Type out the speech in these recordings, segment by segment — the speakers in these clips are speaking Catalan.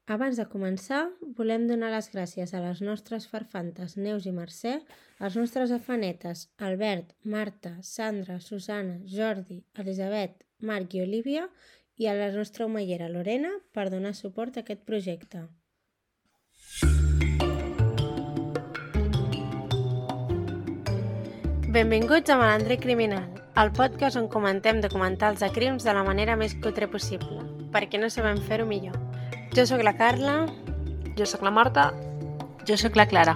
Abans de començar, volem donar les gràcies a les nostres farfantes Neus i Mercè, als nostres afanetes Albert, Marta, Sandra, Susana, Jordi, Elisabet, Marc i Olívia i a la nostra omellera Lorena per donar suport a aquest projecte. Benvinguts a Malandrer Criminal, el podcast on comentem documentals de crims de la manera més cutre possible, perquè no sabem fer-ho millor. Jo sóc la Carla. Jo sóc la Marta. Jo sóc la Clara.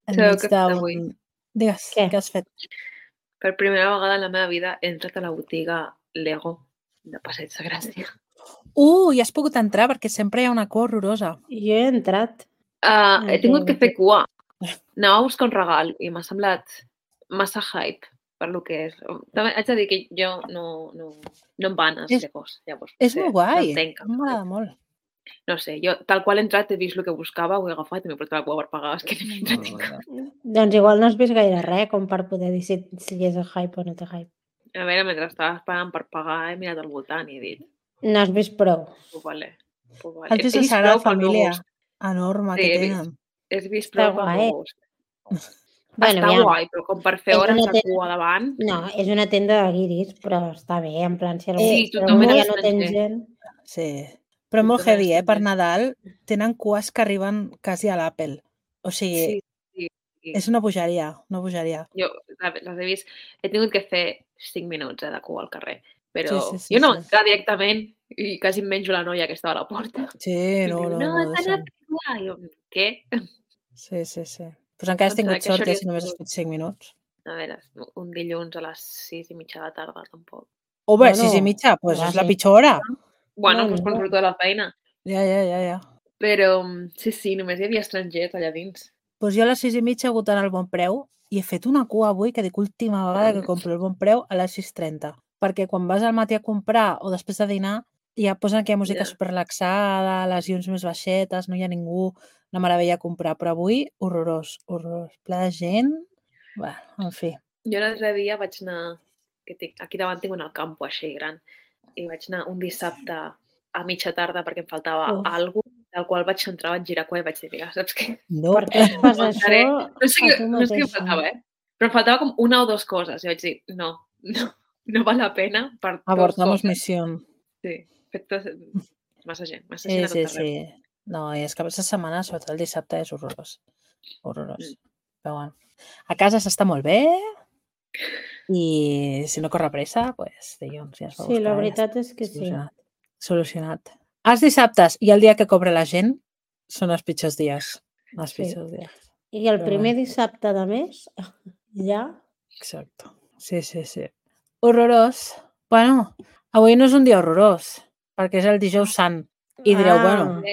Sabeu què he fet avui? Digues, què has fet? Per primera vegada en la meva vida he entrat a la botiga Lego de Passeig de Gràcia. I has pogut entrar perquè sempre hi ha una cua horrorosa. Jo he entrat. He tingut que fer cua. Anava a buscar un regal i m'ha semblat massa hype per lo que és. També haig de dir que jo no em van els Legos. Llavors, És molt guai, m'agrada molt. No sé, jo tal qual he entrat he vist el que buscava, ho he agafat i m'he portat la cua per pagar, és que no m'he entrat. Doncs igual no has vist gaire res com per poder dir si és hype o no té hype. A veure, mentre estava esperant per pagar he mirat al voltant i he dit... No has vist prou. Pues vale. Has vist la Sagrada Família enorme que tenen. He vist prou pel meu gust. Bueno, està guai, però com per fer hores de cua davant... No, és una tenda de guiris, però està bé, en plan, si tothom ja no tens gent... Sí, però molt heavy, per Nadal tenen cues que arriben quasi a l'Apple. O sigui, és una bogeria, una bogeria. Jo les he vist, he tingut que fer 5 minuts de cua al carrer, però jo no entrar directament i quasi em menjo la noia que estava a la porta. Sí, no. Jo, què? Sí. Doncs encara has tingut sort, si només has fet 5 minuts. A veure, un dilluns a les 6:30 de la tarda, tampoc. Bé, 6:30, doncs és la pitjor hora. Bueno, doncs quan surto de la feina. Ja. Però sí, només hi havia estrangers allà dins. Doncs jo a les 6:30 he hagut d'anar al Bon Preu i he fet una cua avui que dic última vegada que compro el Bon Preu a les 6:30. Perquè quan vas al matí a comprar o després de dinar ja posen aquella música superrelaxada, les llums més baixetes, no hi ha ningú, una meravella a comprar. Però avui, horrorós. Ple de gent. Bé, en fi. Jo l'altre dia vaig anar... Aquí davant tinc un campo així gran i vaig anar un dissabte a mitja tarda perquè em faltava alguna cosa, del qual vaig entrar, vaig girar cua i vaig dir, mira, saps què? No. Per què fas això? No sé què em faltava, però em faltava com una o dues coses i vaig dir, no val la pena per Abortamos misión. Sí, massa gent a tot arreu. Sí. No, i és que aquesta setmana, sobretot el dissabte, és horrorós. Horrorós. Però bueno, a casa s'està molt bé i si no corre pressa, doncs dilluns ja es va buscar. Sí, la veritat és que sí. Solucionat. Els dissabtes i el dia que cobra la gent són els pitjors dies. Els pitjors dies. I el primer dissabte de mes, ja... Exacte. Sí. Horrorós. Bueno, avui no és un dia horrorós, perquè és el dijous sant. I direu, bueno,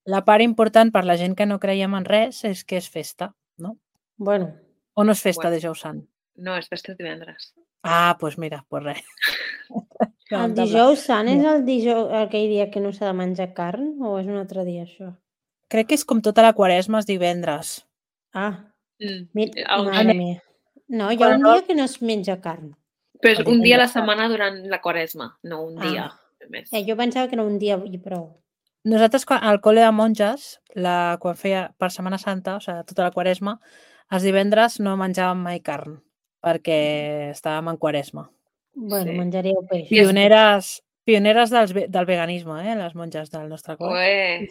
la part important per la gent que no creiem en res és que és festa, no? Bueno. O no és festa dijous sant? No, és festa divendres. Doncs mira, res. El dijous sant és aquell dia que no s'ha de menjar carn o és un altre dia, això? Crec que és com tota la Quaresma, és divendres. Mare meva. No, hi ha un dia que no es menja carn. Però és un dia a la setmana durant la Quaresma, no un dia més. Jo pensava que era un dia i prou. Nosaltres al col·le de monges, quan feia per Setmana Santa, o sigui, tota la Quaresma, els divendres no menjàvem mai carn, perquè estàvem en Quaresma. Bueno, menjaríeu peix. Pioneres del veganisme, les monges del nostre col·le.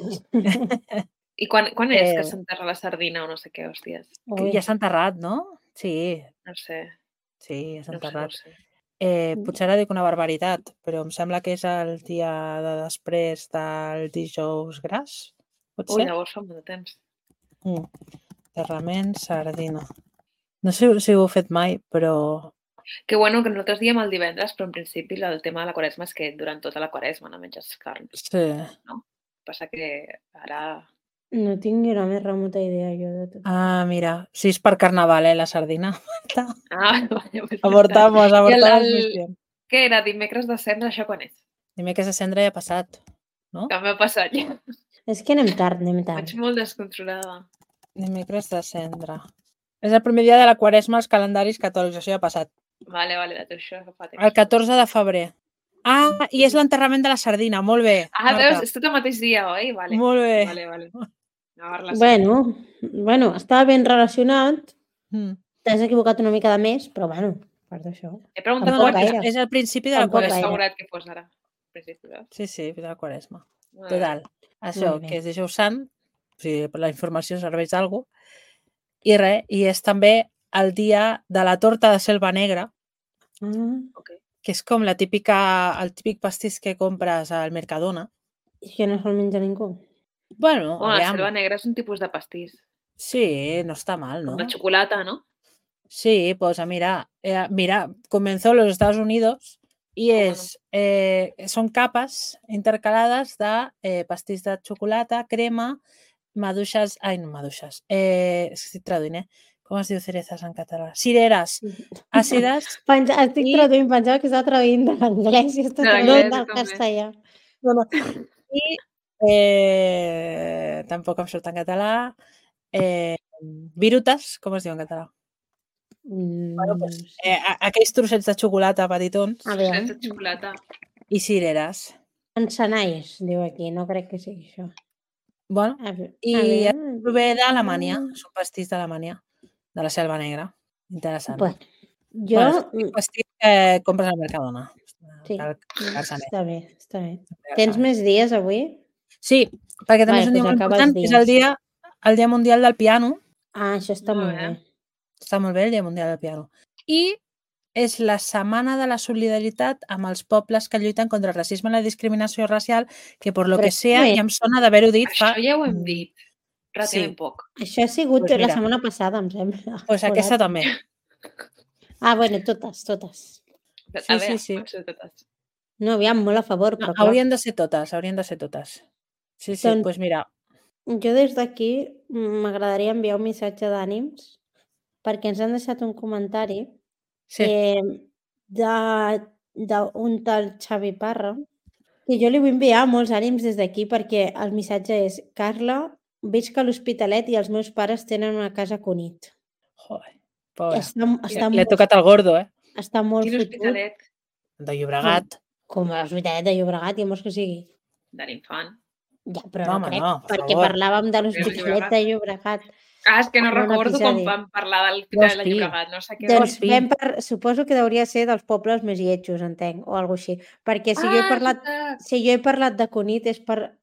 I quan és que s'enterra la sardina o no sé què, hòsties? Ja s'ha enterrat, no? Sí. No sé. Sí, ja s'ha enterrat. Potser ara dic una barbaritat, però em sembla que és el dia de després del dijous gras, pot ser? Llavors fa molt de temps. Enterrament, sardina. No sé si ho heu fet mai, però... Que bueno, que nosaltres diem el divendres, però en principi el tema de la Quaresma és que durant tota la Quaresma no menges carn. Sí. No? Passa que ara... No tinc ni la més remota idea, jo, de tot. Mira, si és per Carnaval, la sardina. Vale. Abortamos missió. Què era? Dimecres de Cendra, això quan és? Dimecres de Cendra ja ha passat, no? També ha passat ja. És que anem tard. Vaig molt descontrolada. Dimecres de Cendra. És el primer dia de la Quaresma als calendaris catòlics, això ja ha passat. Vale, això fa temps. El 14 de febrer. Ah, i és l'enterrament de la sardina. Molt bé, Ah, Marta. veus? És tot el mateix dia, oi? Vale. Molt bé. Vale. Anava relacionat. Bueno, estava ben relacionat. Mm. T'has equivocat una mica de més, però bueno, part d'això. He preguntat Tampoc quan, gaire. És el principi de la Tampoc però he quaresma. gaire. assegurat que fos ara. Principi, veus? Sí, de la quaresma. Molt Total. Això, Molt bé. que és dijous sant, o sigui, la informació serveix d'algú. I res, i és també el dia de la torta de selva negra, Ok. que és com el típic pastís que compres al Mercadona. I que no se'l menja ningú. Bueno, Bueno, la aviam. selva negra és un tipus de pastís. Sí, no està mal, Com ¿no? de xocolata, no? Sí, pues mira, comenzó en los Estados Unidos y son capas intercaladas de pastís de xocolata, crema, maduixes... Ai, no maduixes. Estic traduint, Com es diu cerezas en català? Cireres àcides. Estic traduint, pensava que estava traduint de l'anglès i estàs traduint del castellà. No. I tampoc em surt en català. Virutes, com es diu en català? Bueno, pues, aquells trossets de xocolata petitons. Trossets de xocolata. I cireres. Encenalls, diu aquí, no crec que sigui això. Bueno, i prové d'Alemanya, és un pastís d'Alemanya, de la Selva Negra. Interessant. Bueno, és un pastís que compres al Mercadona. Sí, està bé. Tens més dies avui? Sí, perquè també és un dia molt important, és el dia mundial del piano. Ah, això està molt bé. Està molt bé el dia mundial del piano. I és la setmana de la solidaritat amb els pobles que lluiten contra el racisme i la discriminació racial, que per lo que sea, ja em sona d'haver-ho dit fa... Això ja ho hem dit relativament poc. Això ha sigut la setmana passada, em sembla. Doncs aquesta també. Ah, bueno, totes. Sí. No, aviam, molt a favor, però clar. Haurien de ser totes. Sí, doncs mira. Jo des d'aquí m'agradaria enviar un missatge d'ànims perquè ens han deixat un comentari d'un tal Xavi Parra que jo li vull enviar molts ànims des d'aquí perquè el missatge és: Carla, visc a l'Hospitalet i els meus pares tenen una casa a Cunit. Joder, pobra. Li ha tocat el gordo, Està molt fotut. Quin Hospitalet? De Llobregat. Com l'Hospitalet de Llobregat, ja vols que sigui? De l'Infant. Ja, però no crec, perquè parlàvem de l'Hospitalet de Llobregat. Ah, és que no recordo quan vam parlar de l'Hospitalet de Llobregat. No sé què. Doncs suposo que hauria de ser dels pobles més lletjos, entenc, o alguna cosa així. Perquè si jo he parlat de Cunit és per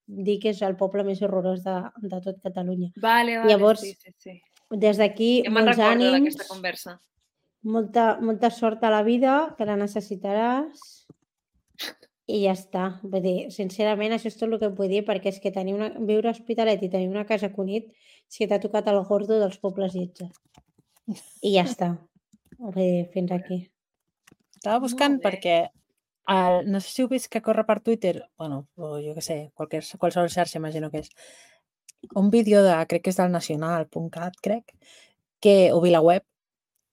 dir que és el poble més horrorós de tot Catalunya. Vale, llavors, sí. Des d'aquí, molts ànims, conversa. molta sort a la vida, que la necessitaràs i ja està. Vull dir, sincerament, això és tot el que em vull dir, perquè és que viure a Hospitalet i tenir una casa a Cunit és que t'ha tocat el gordo dels pobles lletges. I ja està. Vull dir, fins aquí. Estava buscant perquè no sé si heu vist que corre per Twitter, bueno, o jo què sé, qualsevol xarxa imagino que és, un vídeo crec que és del nacional.cat, crec, o VilaWeb,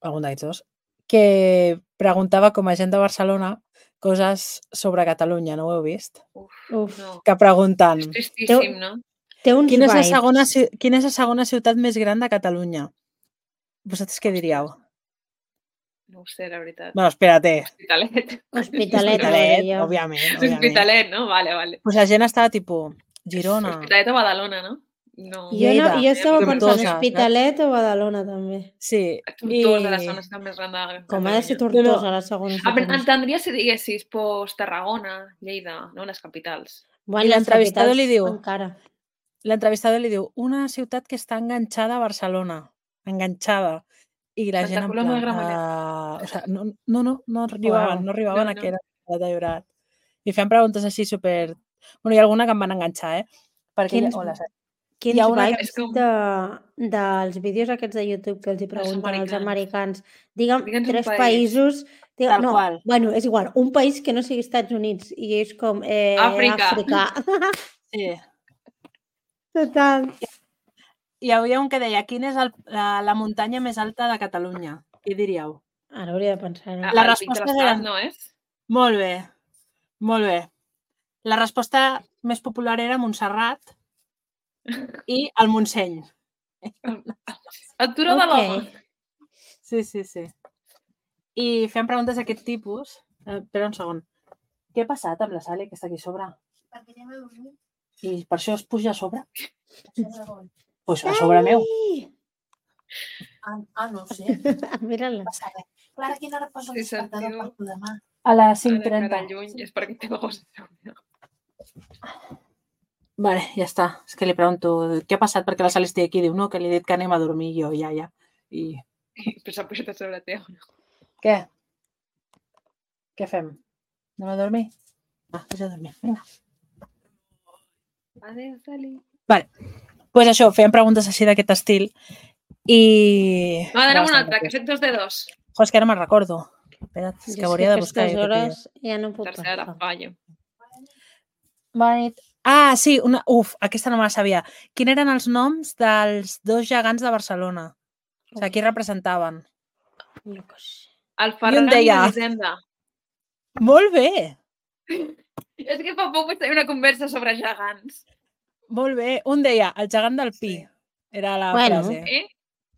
algun d'aquests dos, que preguntava com a gent de Barcelona coses sobre Catalunya, no ho heu vist? Uf, no. Que pregunten... És tristíssim, no? Té uns quina és la segona ciutat més gran de Catalunya? Vosaltres què diríeu? No ho sé, la veritat. Bueno, espérate. Hospitalet, òbviament. Hospitalet, no? Vale. Pues la gent estava tipus Girona. Hospitalet o Badalona, no? No. Jo estava pensant Hospitalet o Badalona, també. Sí. Tortosa, la segona ciutat més gran de Catalunya. Com ha de ser Tortosa, la segona ciutat? Entendria si diguessis Tarragona, Lleida, no? Les capitals. I l'entrevistador li diu... L'entrevistador li diu una ciutat que està enganxada a Barcelona. Enganxada. I la gent en plan... No arribaven a que era de Llobregat. I feien preguntes així super... Bueno, hi ha alguna que em van enganxar, Perquè... Quins vibes dels vídeos aquests de YouTube que els hi pregunten als americans. Digue'm 3 països... Tal qual. Bueno, és igual. Un país que no sigui Estats Units. I és com... Àfrica. Sí. Total. Hi havia un que deia, quina és la muntanya més alta de Catalunya? Què diríeu? Ara hauria de pensar. La resposta era... no és? Molt bé. La resposta més popular era Montserrat i el Montseny. El turó de l'Home. Sí. I fem preguntes d'aquest tipus. Espera un segon. Què ha passat amb la Sally, que està aquí a sobre? Perquè anem a dormir. I per això es puja a sobre? Doncs a Ai! sobre meu. No ho sé. Mira-la. Passa res. Clara, quina hora posa el Sí, despertador sentiu. per tu demà? A les Ara cara 5:30. lluny és perquè té gols. Vale, ja està. És que li pregunto què ha passat perquè la Sally estigui aquí. Diu, no, que li he dit que anem a dormir jo, ja. I... Però s'ha pujat a sobre teu. Què? Què fem? Anem a dormir? Vaig a dormir. Vinga. Adéu, Sally. Vale. Pues això, fèiem preguntes així d'aquest estil i... Va, anem una altra, que he fet 2 de 2. Jo, és que ara me'n recordo. Espera't, és que ho hauria de buscar. aquestes hores ja no puc Tercera passar. fallo. Bona nit. Ah, sí, aquesta no me la sabia. Quins eren els noms dels 2 gegants de Barcelona? O sigui, qui representaven? Jo què sé. El Ferran i deia- l'Elisenda. Molt bé, És que fa poc vaig tenir una conversa sobre gegants. molt bé. Un deia el gegant del Pi. Sí. Era la Bueno. frase.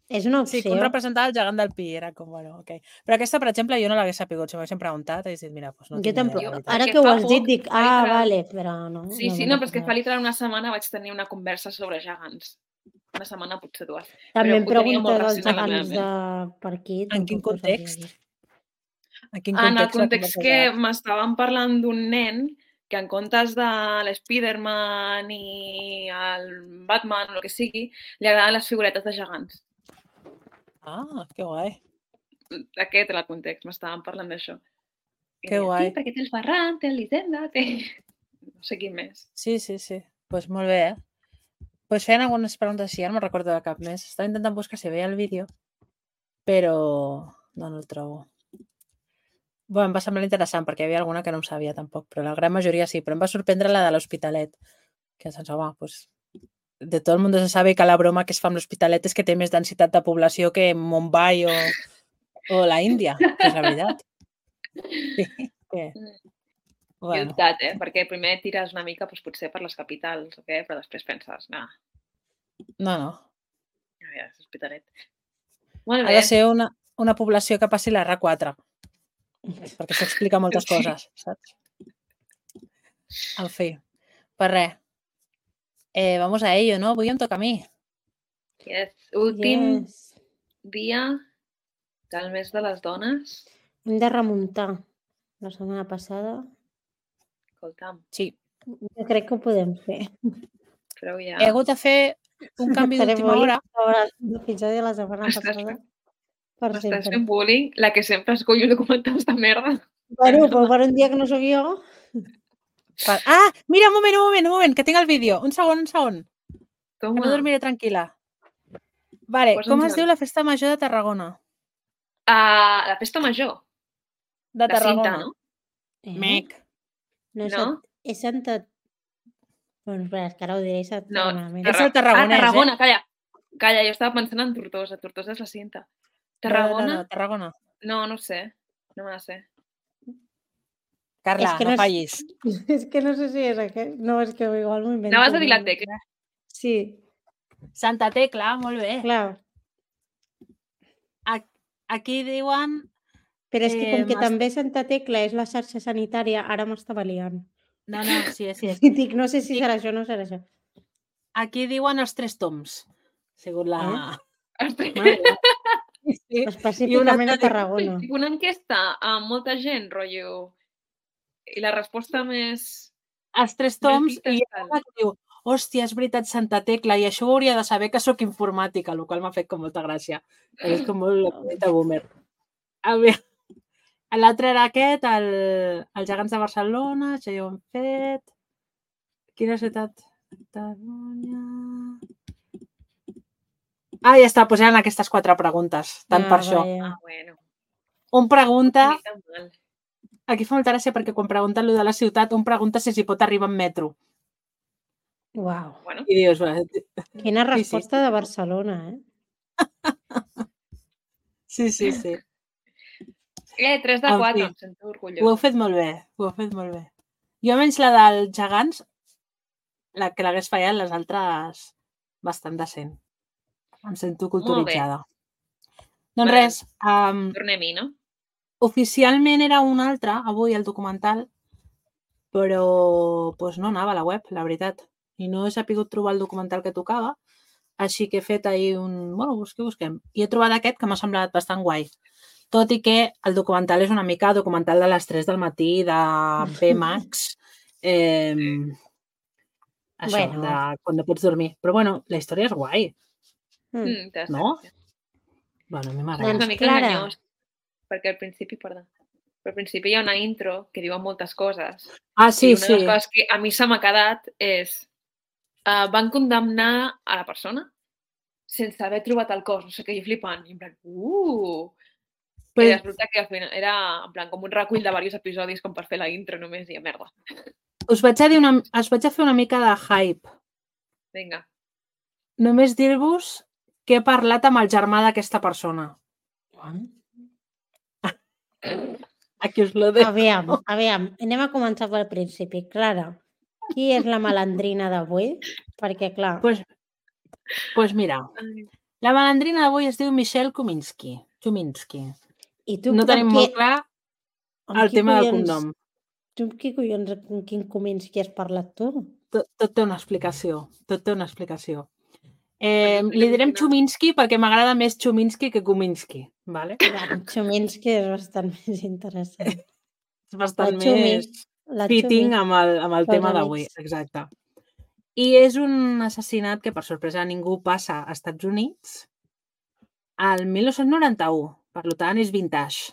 És una Sí, opció. que un representava el gegant del Pi. Era com, bueno, ok. Però aquesta, per exemple, jo no l'hagués sapigut. Si m'haguessin preguntat, hagués dit, mira, doncs no Jo tinc ni idea, tampoc. la veritat. Ara Perquè que ho fa has dit, poc, dic, literal. vale, però no. Sí, sí, no, però és que fa literal una setmana vaig tenir una conversa sobre gegants. Una setmana, potser 2. També em però ho tenia pregunta molt dels recent a la gegants meva de per aquí. En quin tampoc ho sabia context? dir. En quin En el context? la context conversa que gegant? m'estaven parlant d'un nen que en comptes de l'Spiderman i el Batman o el que sigui, li agraden les figuretes de gegants. Ah, que guai. Aquest era el context, m'estaven parlant d'això. I Que deia, guai. Sí, perquè té el Ferran, té l'Elisenda, té... No sé quin més. Sí. Doncs pues molt bé, Pues feien algunes preguntes així, ara no me'n recordo de cap més. Estava intentant buscar si veia el vídeo, però no el trobo. Bueno, em va semblar interessant perquè hi havia alguna que no em sabia tampoc, però la gran majoria sí, però em va sorprendre la de l'Hospitalet, que sense, home, pues, de tot el món se sabe que la broma que es fa amb l'Hospitalet és que té més densitat de població que Mumbai o la Índia, que és la veritat. Sí, que... Bueno. Perquè primer tires una mica doncs, potser per les capitals, okay? Però després penses, no. No. És Hospitalet. Molt Ha bé. de ser una població que passi la R4, perquè això explica moltes coses, saps? En fi, per res. Vamos a ello, no? Avui em toca a mi. Yes. Últim dia del mes de les dones. Hem de remuntar la setmana passada. Escolta'm. Sí. Jo crec que ho podem fer. Però ja... He hagut de fer un canvi d'última hora. L'episodi de la setmana passada. M'estàs fent bullying, la que sempre escollo documentals de merda. Bueno, però per un dia que no sóc jo... Ah, mira, un moment, que tinc el vídeo. Un segon. Toma. Que no dormiré tranquil·la. Vale, com es diu la festa major de Tarragona? La festa major? De Tarragona. Cinta, no? Mec. No? És Santa... Bueno, espera, és que ara ho diré. És el Tarragona, Calla, jo estava pensant en Tortosa. Tortosa és la cinta. Tarragona? No, Tarragona. No, no sé. No me la sé. Carla, no fallis. És que no sé si és aquest. No, és que igual m'ho invento. Anaves a dir la Tecla? Sí. Santa Tecla, molt bé. Clar. Aquí diuen... Però és que com que també Santa Tecla és la xarxa sanitària, ara m'estava liant. No, sí és. Dic, no sé si serà això o no serà això. Aquí diuen els 3 toms, segons la... Sí. Específicament a Tarragona. Una enquesta amb molta gent, rotllo, i la resposta més... Els 3 toms, i hi ha una que diu, hòstia, és veritat, Santa Tecla, i això ho hauria de saber que sóc informàtica, el qual m'ha fet com molta gràcia. És com molt de boomer. A veure, l'altre era aquest, els gegants de Barcelona, això ja ho hem fet. Quina ciutat? Ja està, doncs eren aquestes 4 preguntes, tant per això. Bueno. Un pregunta... Aquí fa molta gràcia perquè quan pregunten allò de la ciutat, un pregunta si s'hi pot arribar en metro. Uau. I dius... Quina resposta de Barcelona, Sí. 3 de 4, em sento orgullosa. Ho heu fet molt bé, Jo menys la dels gegants, la que l'hagués fallat, les altres bastant decent. Em sento culturitzada. Doncs res. Tornem-hi, no? Oficialment era un altre, avui, el documental, però doncs no anava a la web, la veritat. I no he sapigut trobar el documental que tocava, així que he fet ahir busquem. I he trobat aquest que m'ha semblat bastant guai. Tot i que el documental és una mica documental de les 3 del matí, de B-Max, això, de quan no pots dormir. Però bueno, la història és guai. No? Bueno, a mi m'agrada. És una mica enganyós, perquè al principi hi ha una intro que diuen moltes coses. Sí, I una de les coses que a mi se m'ha quedat és van condemnar a la persona sense haver trobat el cos. No sé què, jo flipant. I en plan, I resulta que era en plan com un recull de diversos episodis com per fer la intro només i merda. Us vaig a fer una mica de hype. Vinga. Només dir-vos que he parlat amb el germà d'aquesta persona. Aquí us lo dejo. Aviam, anem a començar pel principi. Clara, qui és la malandrina d'avui? Perquè, clar... Doncs mira, la malandrina d'avui es diu Michelle Chuminski. I tu, no tenim molt clar el tema del cognom. Tu amb quin Chuminski has parlat tu? Tot té una explicació. Li direm Chuminski perquè m'agrada més Chuminski que Chuminski. Vale? Chuminski és bastant més interessant. És bastant més fitting amb el tema d'avui. Exacte. I és un assassinat que, per sorpresa de ningú, passa als Estats Units al 1991. Per tant, és vintage.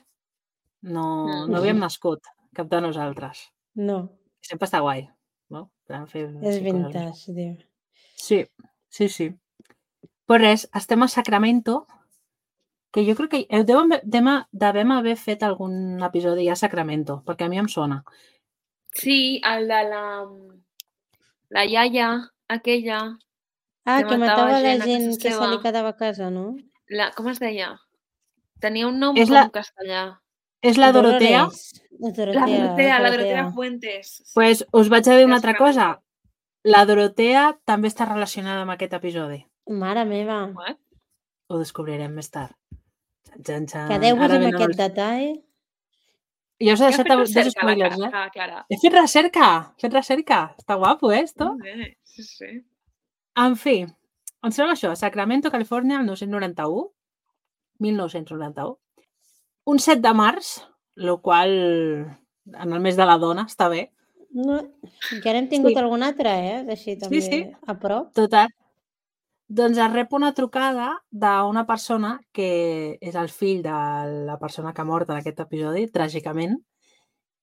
No havíem nascut, cap de nosaltres. No. Sempre està guai. No? És vintage, diu. Sí. Però res, estem a Sacramento, que jo crec que devem haver fet algun episodi a Sacramento, perquè a mi em sona. Sí, el de la iaia, aquella... que matava la gent que se li quedava a casa, no? Com es deia? Tenia un nom com castellà. És la Dorotea? La Dorotea Fuentes. Pues us vaig a dir una altra cosa. La Dorotea també està relacionada amb aquest episodi. Mare meva. What? Ho descobrirem més tard. Quedeu-vos amb aquest detall. Jo us he deixat dos spoilers, Clara. He fet recerca. Està guapo, esto? Sí. En fi, em sembla això. Sacramento, Califòrnia, el 1991. Un 7 de març, el qual en el mes de la dona està bé. No, ja n'hem tingut algun altre, Així també a prop. Total. Doncs es rep una trucada d'una persona que és el fill de la persona que ha mort en aquest episodi, tràgicament,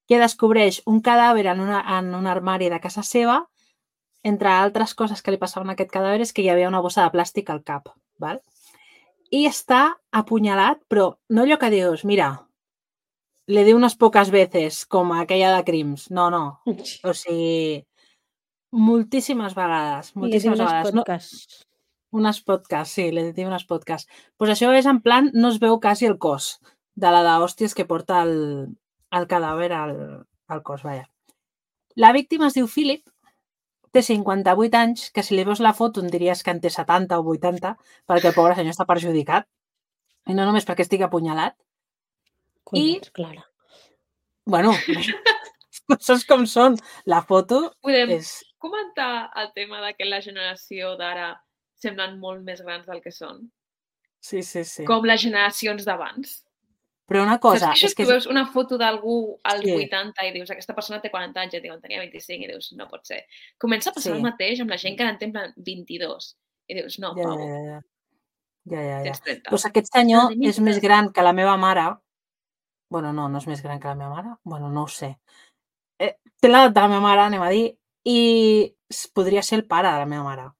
que descobreix un cadàver en un armari de casa seva. Entre altres coses que li passaven a aquest cadàver és que hi havia una bossa de plàstic al cap. Val? I està apunyalat, però no allò que dius, mira, le di unes poques veces, com aquella de Crims. No. O sigui, moltíssimes vegades. Unes podcasts, sí, le di unes podcasts. Doncs això és en plan, no es veu quasi el cos de la d'hòsties que porta el cadàver al cos, vaja. La víctima es diu Philip, té 58 anys, que si li veus la foto en diries que en té 70 o 80, perquè el pobre senyor està perjudicat. I no només perquè estigui apunyalat. Collons, Clara. Bueno, coses com són. La foto Podem és... comentar el tema de que la generació d'ara semblen molt més grans del que són? Sí. Com les generacions d'abans. Però una cosa... Saps que tu veus una foto d'algú als 80 i dius, aquesta persona té 40 anys, en tenia 25, i dius, no pot ser. Comença a passar el mateix amb la gent que en té 22. I dius, no, pavo. Ja. Tens 30. Doncs aquest senyor és més gran que la meva mare. Bueno, no és més gran que la meva mare. Bueno, no ho sé. Té l'edat de la meva mare, anem a dir, i podria ser el pare de la meva mare.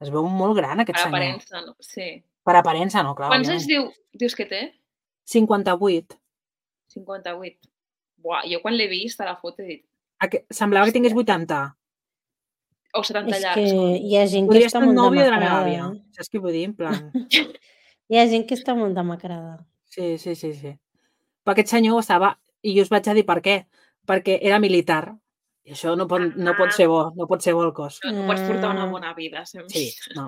Es veu molt gran, aquest senyor. Per aparença, no? Sí. Per aparença, no, clar. Quants anys dius que té? 58. 58. Buah, jo quan l'he vist a la foto he dit... Semblava que tingués 80. O 70 llargs. És que hi ha gent que Podria està ser el molt nòvio de la meva demacrada. àvia. Saps què vull dir? En plan... Hi ha gent que està molt demacrada. Sí. Però aquest senyor estava... I jo us vaig a dir per què. Perquè era militar. I això no pot ser bo. No pot ser bo el cos. No pots portar una bona vida. Sí, no.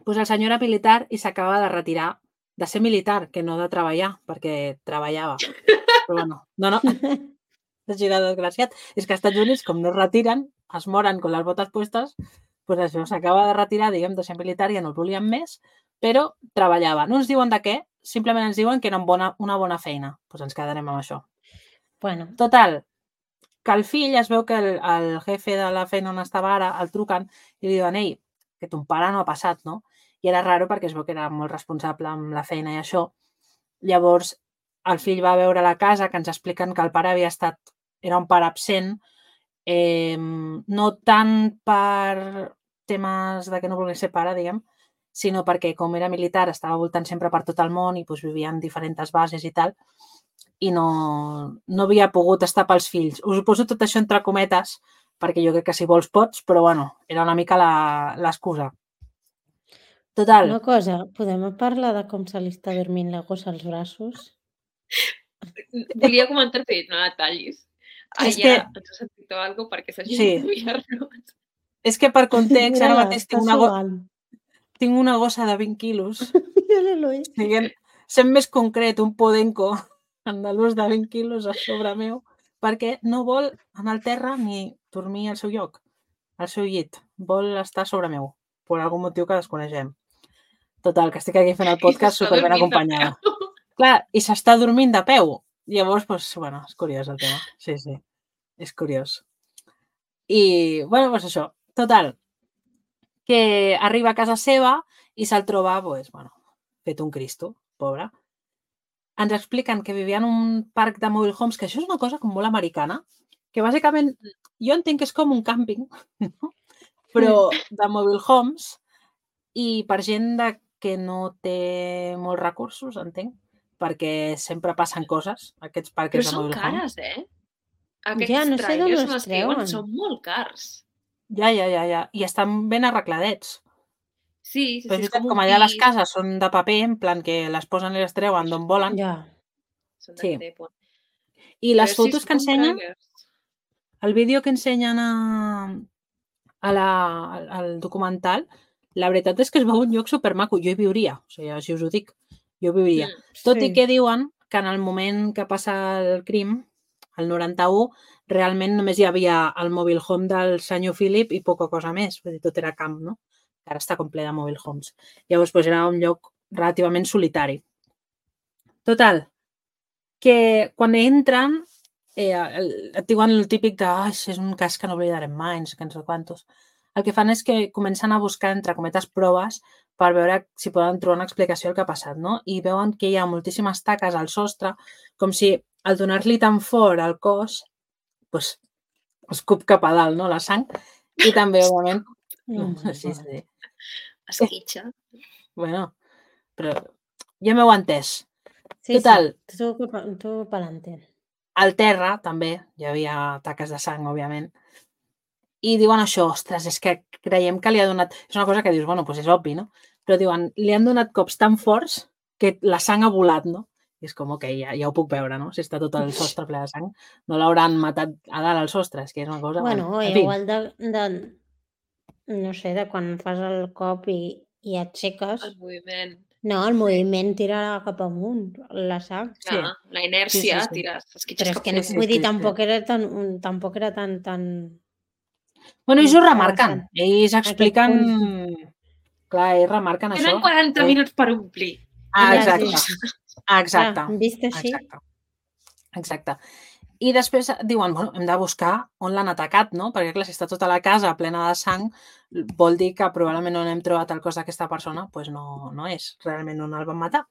Doncs el senyor era militar i s'acaba de retirar de ser militar, que no de treballar, perquè treballava. Però bueno, no. així de desgraciat. És que als Estats Units, com no es retiren, es moren con les botes puestes, doncs això s'acaba de retirar, diguem, de ser militar, ja no el volien més, però treballava. No ens diuen de què, simplement ens diuen que era una bona feina. Doncs ens quedarem amb això. Bueno, Total, que el fill es veu que el jefe de la feina on estava ara el truquen i li diuen, ei, que ton pare no ha passat, no? I era raro perquè es veu que era molt responsable amb la feina i això. Llavors, el fill va a veure la casa, que ens expliquen que el pare era un pare absent, no tant per temes de que no volgués ser pare, diguem, sinó perquè com era militar estava voltant sempre per tot el món i doncs, vivia en diferents bases i tal, i no havia pogut estar pels fills. Us ho poso tot això entre cometes, perquè jo crec que si vols pots, però bueno, era una mica l'excusa. Total. una cosa, podem parlar de com se li està dormint la gossa als braços? Volia comentar que no la tallis. És Allà que... ens has sentit algo perquè s'hagi Sí. d'enviar-nos. És que per context, ara Mira-la, mateix està tinc una gossa de 20 quilos. Mira-lo, Sent més concret, un podenco andalús de 20 quilos a sobre meu, perquè no vol anar al terra ni dormir al seu lloc, al seu llit. Vol estar sobre meu, per algun motiu que desconeixem. Total, que estic aquí fent el podcast superben acompanyada. Clar, i s'està dormint de peu. Llavors, doncs, bueno, és curiós el tema. Sí, és curiós. I, bueno, doncs això. Total, que arriba a casa seva i se'l troba, doncs, bueno, fet un cristo, pobre. Ens expliquen que vivia en un parc de mobile homes, que això és una cosa com molt americana, que bàsicament jo entenc que és com un càmping, no? Però de mobile homes i per gent que no té molts recursos, entenc, perquè sempre passen coses, aquests parcs de mobile homes. Però són cares, Aquests Ja, no sé d'on trailers els les creuen treuen. són molt cars. Ja. I estan ben arregladets. Sí, Però és és veritat, com com un allà les pis. cases són de paper, en plan que les posen i les treuen d'on volen. Ja. Són de Sí. tèpon. I les Però sí, fotos són que com ensenyen, trailers. el vídeo que ensenyen al documental, la veritat és que es veu un lloc supermaco. Jo hi viuria, o sigui, així us ho dic. Jo hi viuria. Tot i que diuen que en el moment que passa el crim, el 91, realment només hi havia el mobile home del senyor Philip i poca cosa més. Vull dir, tot era camp, no? Ara està ple de mobile homes. Llavors, doncs, era un lloc relativament solitari. Total, que quan entren et diuen el típic de és un cas que no oblidarem mai, no sé què, no sé quantos. El que fan és que comencen a buscar, entre cometes, proves per veure si poden trobar una explicació del que ha passat, no? I veuen que hi ha moltíssimes taques al sostre, com si al donar-li tan fort al cos, doncs, escup cap a dalt, no?, la sang. I també, òbviament... Sí. Esquitxa. Bueno, però ja m'heu entès. Sí, Total. Sí, tu pelante. Al terra, també, hi havia taques de sang, òbviament. I diuen això, ostres, és que creiem que li ha donat... És una cosa que dius, bueno, doncs és obvi, no? Però diuen, li han donat cops tan forts que la sang ha volat, no? I és com, ok, ja ho puc veure, no? Si està tot el sostre ple de sang, no l'hauran matat a dalt al sostre, és que és una cosa... Bueno, igual no sé, de quan fas el cop i aixeques... El moviment. No, el moviment tira cap amunt, la sang. Clar, la inèrcia, tires, esquitxes cap amunt. Vull dir, tampoc era tan... Bueno, ells ho remarquen. Ells expliquen... Clar, ells remarquen això. Tenen 40 minuts per omplir. Exacte. Vist així? Exacte. I després diuen, bueno, hem de buscar on l'han atacat, no? Perquè, clar, si està tota la casa plena de sang, vol dir que probablement on hem trobat el cos d'aquesta persona doncs no és realment on el van matar.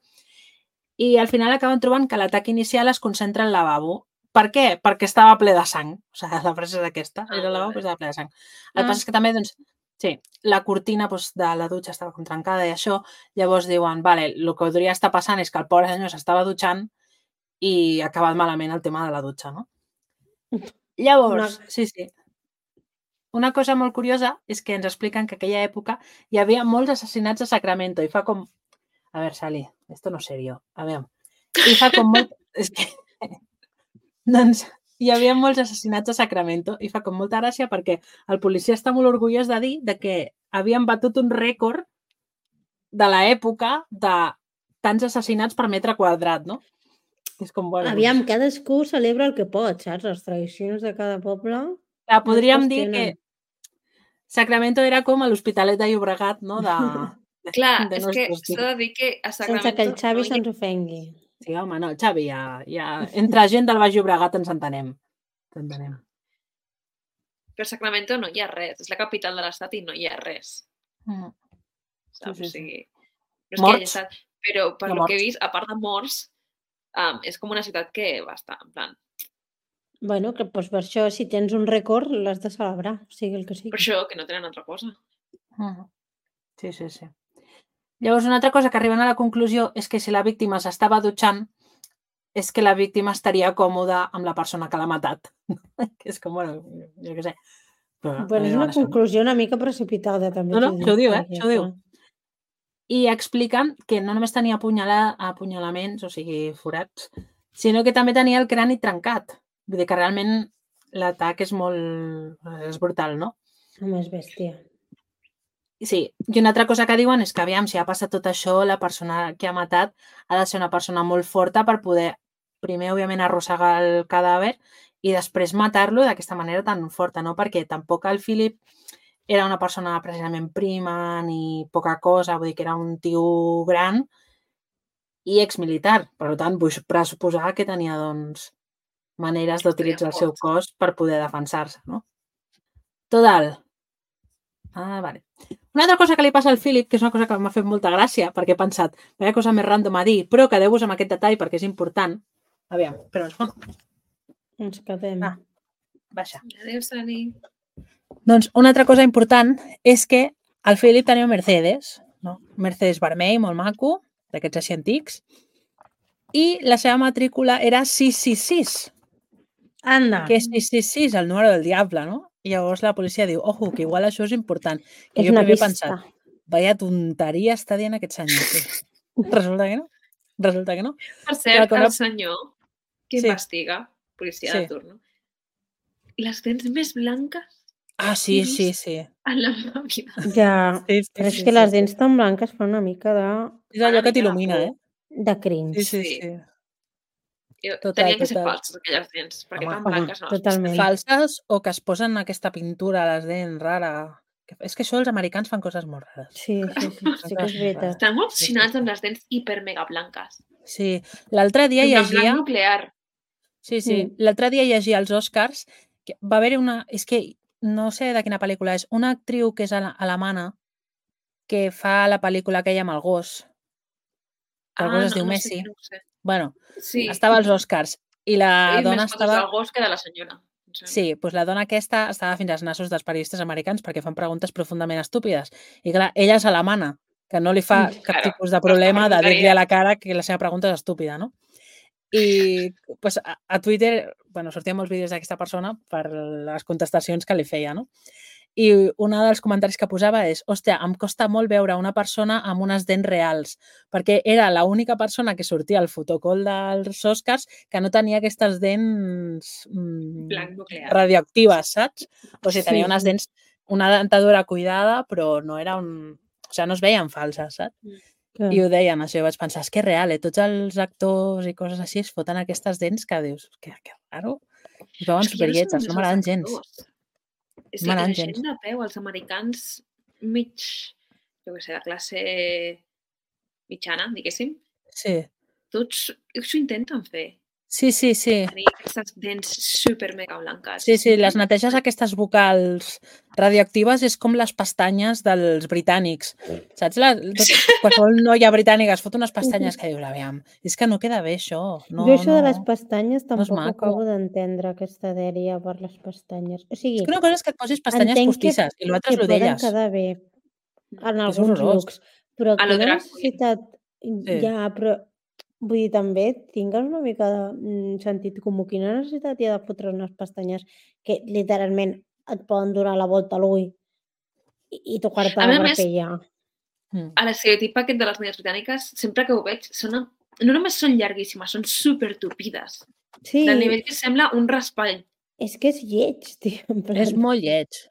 I al final acaben trobant que l'atac inicial es concentra al lavabo. Per què? Perquè estava ple de sang. O sigui, la frase és aquesta. Era el lavabo, però estava ple de sang. El que passa és que també, doncs, sí, la cortina de la dutxa estava com trencada i això. Llavors diuen, vale, el que podria estar passant és que el pobre senyor s'estava dutxant i ha acabat malament el tema de la dutxa, no? Llavors, sí. Una cosa molt curiosa és que ens expliquen que en aquella època hi havia molts assassinats a Sacramento i fa com... A veure, Sally, esto no es serio. A veure. I fa com molt... És que... Doncs hi havia molts assassinats a Sacramento i fa com molta gràcia perquè el policia està molt orgullós de dir que havien batut un rècord de l'època de tants assassinats per metre quadrat, no? És com, bueno... Aviam, cadascú celebra el que pot, saps? Les tradicions de cada poble Clar, no es podríem dir que qüestionen. Sacramento era com a l'Hospitalet de Llobregat, no? Clar, de és que nostres s'ha de dir que a Sense que el Sacramento Xavi no hi ha... se'ns ofengui. Sí, home, no, Xavi, ja... Entre gent del Baix Llobregat ens entenem. Però a Sacramento no hi ha res. És la capital de l'estat i no hi ha res. Saps? Sí. O sigui, no és que hi hagi Morts. estat... Però per Hi ha lo que he morts. vist, a part de morts, és com una ciutat que va estar, en plan... Bueno, que doncs per això, si tens un rècord, l'has de celebrar, sigui el que sigui. Per això, que no tenen altra cosa. Sí. Llavors, una altra cosa que arriben a la conclusió és que si la víctima s'estava dutxant, és que la víctima estaria còmoda amb la persona que l'ha matat. Que és com, bueno, jo què sé. Però Bueno, és una conclusió una mica precipitada, també No, t'ho dic. això ho diu, perquè, això ho diu. clar, I expliquen que no només tenia apunyalaments, o sigui, forats, sinó que també tenia el crani trencat. Vull dir que realment l'atac és brutal, no? home, és bèstia. Sí, i una altra cosa que diuen és que aviam, si ha passat tot això, la persona que ha matat ha de ser una persona molt forta per poder, primer, òbviament, arrossegar el cadàver i després matar-lo d'aquesta manera tan forta, no? Perquè tampoc el Philip era una persona precisament prima ni poca cosa, vull dir que era un tio gran i exmilitar. Per tant, vull pressuposar que tenia, doncs, maneres d'utilitzar el seu cos per poder defensar-se, no? Total. Vale. Una altra cosa que li passa al Philip, que és una cosa que m'ha fet molta gràcia, perquè he pensat, vaya cosa més random a dir, però quedeu-vos amb aquest detall perquè és important. Aviam, però Ens quedem. Baixa. Adéu, Sani. Doncs una altra cosa important és que el Philip tenia un Mercedes, no? Un Mercedes vermell, molt maco, d'aquests així antics, i la seva matrícula era 666. Anda! Que és 666, el número del diable, no? I llavors la policia diu, ojo, que igual això és important. Que És jo una primer he pista. pensat, vaya tonteria està dient aquest senyor. Sí. Resulta que no. Per cert, Clar, el senyor que Sí. investiga, policia de Sí. turno, les dents més blanques Sí. en la meva vida. Ja, Sí, però és que les dents tan blanques fan una mica És allò que t'il·lumina, eh? de cringe. Sí. Total, Tenien que ser total. falses aquelles dents, perquè Home, tan blanques no. totalment. Falses o que es posen aquesta pintura a les dents rara. És que això els americans fan coses molt rares. Sí que és veritat. Estan molt obsessionats amb les dents hiper mega blanques. Sí, l'altre dia En llegia... blanc nuclear. Sí. L'altre dia llegia als Oscars que va haver-hi una... És que no sé de quina pel·lícula és. Una actriu que és alemana que fa la pel·lícula aquella amb el gos. El gos es diu Messi. No sé. Bueno, Sí. estava als Oscars i la dona Més fotos estava... del gos que de la senyora. Sí, doncs la dona aquesta estava fins als nassos dels periodistes americans perquè fan preguntes profundament estúpides. I clar, ella és alemana, que no li fa cap tipus de problema de dir-li a la cara que la seva pregunta és estúpida, no? I pues, a Twitter, bueno, sortien molts vídeos d'aquesta persona per les contestacions que li feia, no? I un dels comentaris que posava és, hòstia, em costa molt veure una persona amb unes dents reals, perquè era l'única persona que sortia al fotocol dels Oscars que no tenia aquestes dents radioactives, saps? O sigui, tenia unes dents, una dentadura cuidada, però no era un... O sigui, no es veien falses, saps? I ho deien, això, vaig pensar, és que és real, tots els actors i coses així es foten aquestes dents que dius, que raro, es veuen superlletges, no m'agraden gens. És a dir, la gent de peu, els americans mig, jo què sé, de classe mitjana, diguéssim, tots s'ho intenten fer. Sí. Tenir aquestes dents super mega blanques. Sí, les neteges aquestes vocals radioactives és com les pestanyes dels britànics. Saps? Qualsevol noia britànica es fot unes pestanyes que dius, aviam, és que no queda bé això. Jo això de les pestanyes tampoc acabo d'entendre, aquesta dèria per les pestanyes. O sigui, és que una cosa és que et posis pestanyes postisses i l'altre és l'orelles. Que poden quedar bé en alguns looks, però quina necessitat hi ha, però vull dir, també tingues una mica de sentit comú. Quina necessitat hi ha de fotre unes pestanyes que literalment et poden donar la volta a l'ull i tocar-te la barbella? A l'estereotip aquest de les noies britàniques, sempre que ho veig, no només són llarguíssimes, són super tupides. Sí. Del nivell que sembla un raspall. És que és lleig, tio. És molt lleig.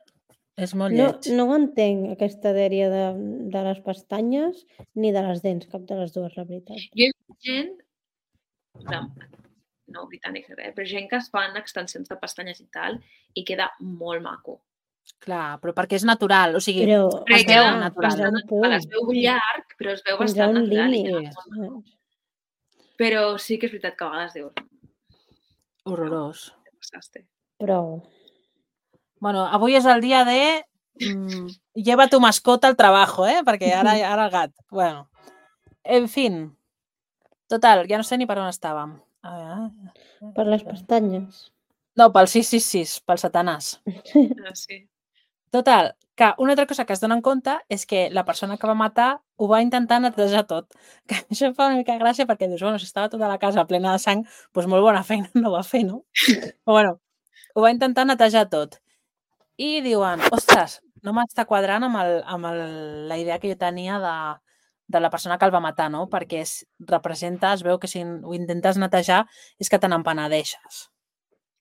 És molt lleig. No ho entenc, aquesta dèria de les pestanyes ni de les dents, cap de les dues, la veritat. Jo he vist gent no britànics, però gent que es fan extensions de pestanyes i tal, i queda molt maco. Clar, però perquè és natural, o sigui, Però, es veu clar, natural. fins a un punt. Es veu llarg, però es veu Fins a bastant un natural. límit. Però sí que és veritat que a vegades dius... Horrorós. Prou. Bueno, avui és el dia de lleva tu mascota al trabajo, perquè ara el gat. Bueno, en fin. Total, ja no sé ni per on estàvem. Per les pestanyes. No, pel 666, pel satanàs. Sí. Total, que una altra cosa que es dona en compte és que la persona que va matar ho va intentar netejar tot. Que això fa una mica gràcia perquè dius, bueno, si estava tota la casa plena de sang, doncs molt bona feina no va fer, no? Però bueno, ho va intentar netejar tot. I diuen, ostres, no m'està quadrant amb la idea que jo tenia de la persona que el va matar, no? Perquè representa, es veu que si ho intentes netejar és que te n'empenedeixes.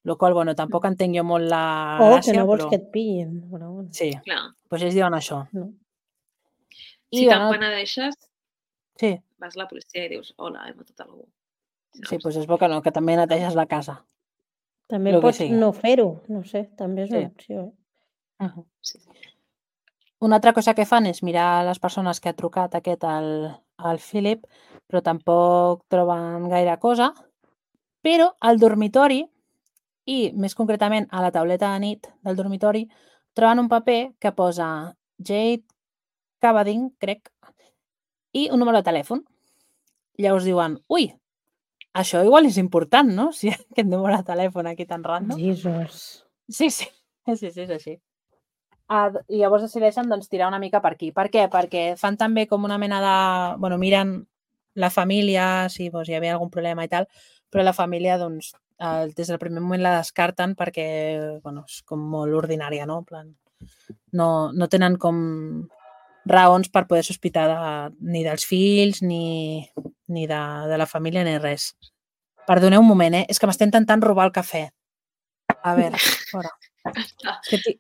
Lo qual, bueno, tampoc entenc jo molt la gràcia, que no vols però... que et pillin. Però... Sí, clar. Doncs ells diuen això. No. Si t'empenedeixes, sí. vas a la policia i dius, hola, he matat algú. Sí, doncs és bo que no, que també neteges la casa. També pots no fer-ho, no sé, també és una opció. Sí. Una altra cosa que fan és mirar les persones que ha trucat al Philip, però tampoc troben gaire cosa. Però al dormitori, i més concretament a la tauleta de nit del dormitori, troben un paper que posa Jade Cavading, crec, i un número de telèfon. Llavors diuen, ui, això igual és important, no? Si aquest número de telèfon aquí tan random. Jesus. Sí, és així. I llavors decideixen tirar una mica per aquí. Per què? Perquè fan també com una mena de... Bueno, miren la família, si hi havia algun problema i tal, però la família, des del primer moment la descarten perquè, és com molt ordinària, no? En plan, no tenen com raons per poder sospitar ni dels fills, ni de la família, ni res. Perdoneu un moment, és que m'estem intentant robar el cafè. A veure, fora.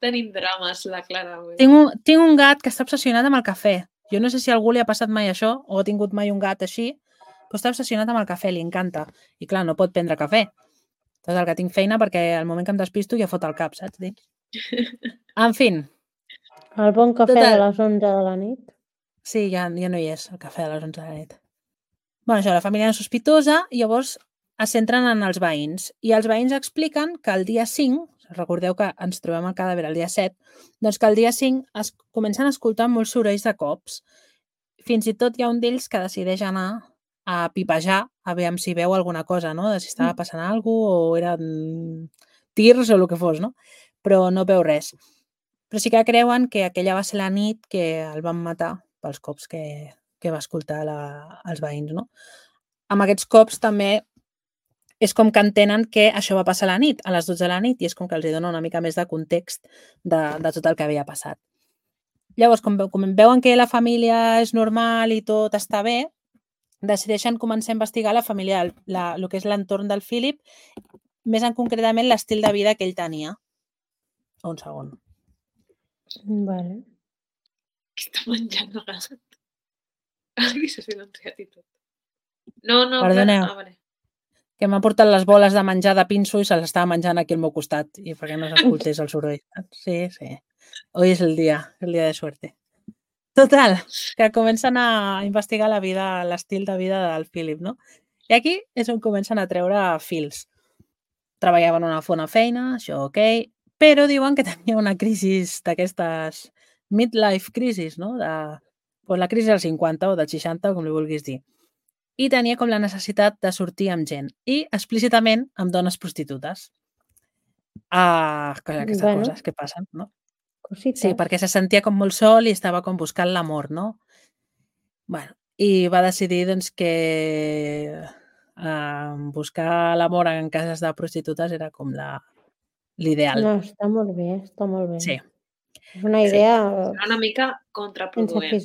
Tenim drames, la Clara. Tinc un gat que està obsessionat amb el cafè. Jo no sé si a algú li ha passat mai això, o ha tingut mai un gat així, però està obsessionat amb el cafè, li encanta. I clar, no pot prendre cafè. Total, que tinc feina perquè al moment que em despisto ja fot el cap, saps? En fi. El bon cafè de les 11 de la nit. Sí, ja no hi és, el cafè de les 11 de la nit. Bueno, això, la família és sospitosa, i llavors es centren en els veïns. I els veïns expliquen que el dia 5, recordeu que ens trobem el cadàver el dia 7, doncs que el dia 5 es comencen a escoltar molts sorolls de cops. Fins i tot hi ha un d'ells que decideix anar a pipejar, a veure si veu alguna cosa, no? De si estava passant alguna cosa o eren tirs o el que fos, no? Però no veu res. Però sí que creuen que aquella va ser la nit que el van matar pels cops que va escoltar els veïns, no? Amb aquests cops també és com que entenen que això va passar a la nit, a les 12 de la nit, i és com que els dona una mica més de context de tot el que havia passat. Llavors, com veuen que la família és normal i tot està bé, decideixen començar a investigar la família, el que és l'entorn del Philip, més en concretament l'estil de vida que ell tenia. Un segon. Vale. Què està menjant el gat? Ai, s'ha silenciat i tot. No, perdoneu. Vale. Que m'ha portat les boles de menjar de pinso i se les estava menjant aquí al meu costat, i perquè no s'escoltés el soroll. Sí. Hoy és el dia de suerte. Total, que comencen a investigar la vida, l'estil de vida del Philip, no? I aquí és on comencen a treure fils. Treballaven una bona feina, això ok, però diuen que tenia una crisi d'aquestes midlife crisis, no? La crisi dels 50 o dels 60, com li vulguis dir. I tenia com la necessitat de sortir amb gent, i explícitament amb dones prostitutes. Aquestes coses que passen, no? Cosites. Sí, perquè se sentia com molt sol i estava com buscant l'amor, no? Bueno, i va decidir doncs, que buscar l'amor en cases de prostitutes era com l'ideal. No, està molt bé, està molt bé. Sí. És una idea... Serà una mica contraproduent.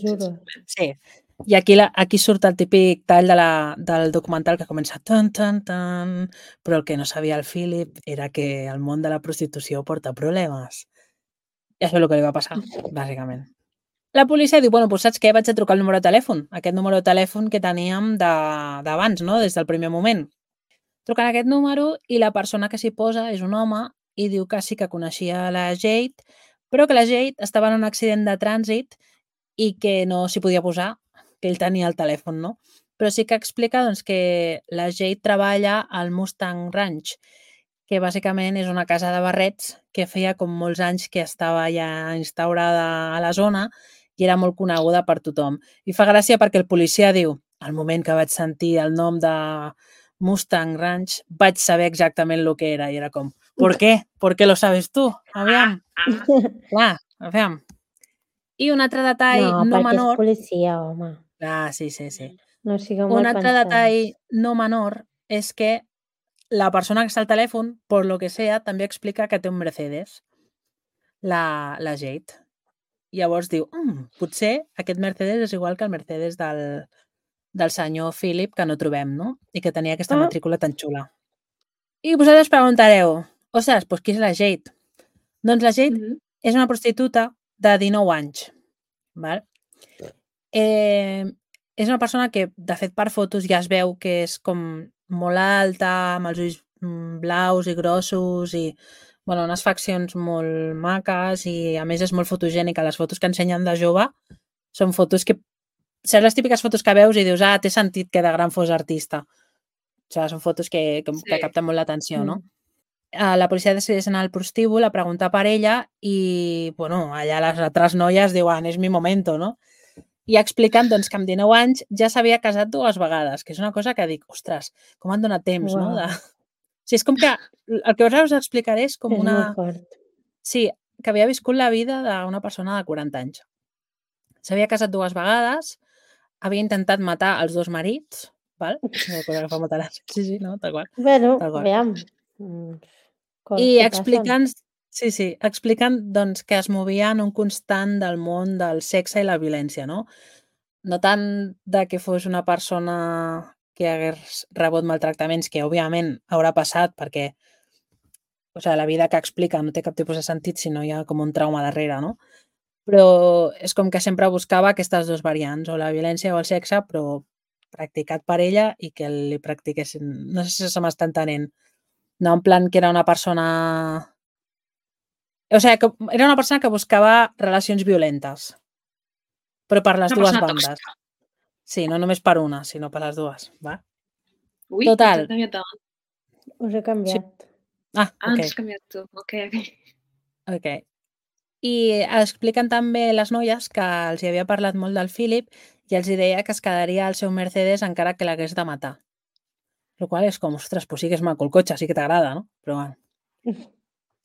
Sí. I aquí surt el típic tall del documental que comença tan, tan, tan, però el que no sabia el Philip era que el món de la prostitució porta problemes. I això és el que li va passar, bàsicament. La policia diu, bueno, doncs saps què? Vaig a trucar el número de telèfon. Aquest número de telèfon que teníem d'abans, no? Des del primer moment. Truquen a aquest número i la persona que s'hi posa és un home i diu que sí que coneixia la Jade, però que la Jade estava en un accident de trànsit i que no s'hi podia posar, que ell tenia el telèfon, no? Però sí que explica doncs, que la Jade treballa al Mustang Ranch, que bàsicament és una casa de barrets que feia com molts anys que estava ja instaurada a la zona i era molt coneguda per tothom. I fa gràcia perquè el policia diu, al moment que vaig sentir el nom de Mustang Ranch, vaig saber exactament el que era i era com, ¿por qué? ¿Por qué lo sabes tú? Aviam. Clar, aviam. I un altre detall No, no perquè és menor... policia, home. Ah, sí, sí, sí. No sigueu Un mal altre pensats. detall no menor és que la persona que està al telèfon, por lo que sea, també explica que té un Mercedes, la Jade. Llavors diu, potser aquest Mercedes és igual que el Mercedes del senyor Philip que no trobem, no? I que tenia aquesta matrícula tan xula. I vosaltres preguntareu, ostres, doncs qui és la Jade? Doncs la Jade és una prostituta de 19 anys. Val? És una persona que, de fet, per fotos ja es veu que és com molt alta, amb els ulls blaus i grossos i bueno, unes faccions molt maques i, a més, és molt fotogènica. Les fotos que ensenyen de jove són fotos que... Saps les típiques fotos que veus i dius, té sentit que de gran fos artista. O sigui, són fotos que capten molt l'atenció, no? La policia decideix anar al prostíbul a preguntar per ella i, bueno, allà les altres noies diuen, és mi momento, no? I explicant doncs, que amb 19 anys ja s'havia casat 2 vegades, que és una cosa que dic, ostres, com han donat temps, no? O sigui, és com que el que us explicaré és com una... És molt fort. Sí, que havia viscut la vida d'una persona de 40 anys. S'havia casat 2 vegades, havia intentat matar els 2 marits, val? Una cosa que fa molta gràcia. Sí, no? Tal qual. Bueno, aviam. I explicant... Sí, explicant doncs, que es movia en un constant del món del sexe i la violència, no? No tant de que fos una persona que hagués rebut maltractaments, que òbviament haurà passat perquè la vida que explica no té cap tipus de sentit si no hi ha com un trauma darrere, no? Però és com que sempre buscava aquestes 2 variants, o la violència o el sexe, però practicat per ella i que li practiquessin. No sé si se m'està entenent. No en plan que era una persona... O sigui, que era una persona que buscava relacions violentes, però per les 2 bandes. Sí, no només per una, sinó per les 2. Va? Ui, total. Us he canviat. Ok. Ens has canviat tu. Ok. I expliquen també les noies que els hi havia parlat molt del Philip i els deia que es quedaria al seu Mercedes encara que l'hagués de matar. El qual és com, ostres, doncs sí que és maco el cotxe, sí que t'agrada, no? Però bueno.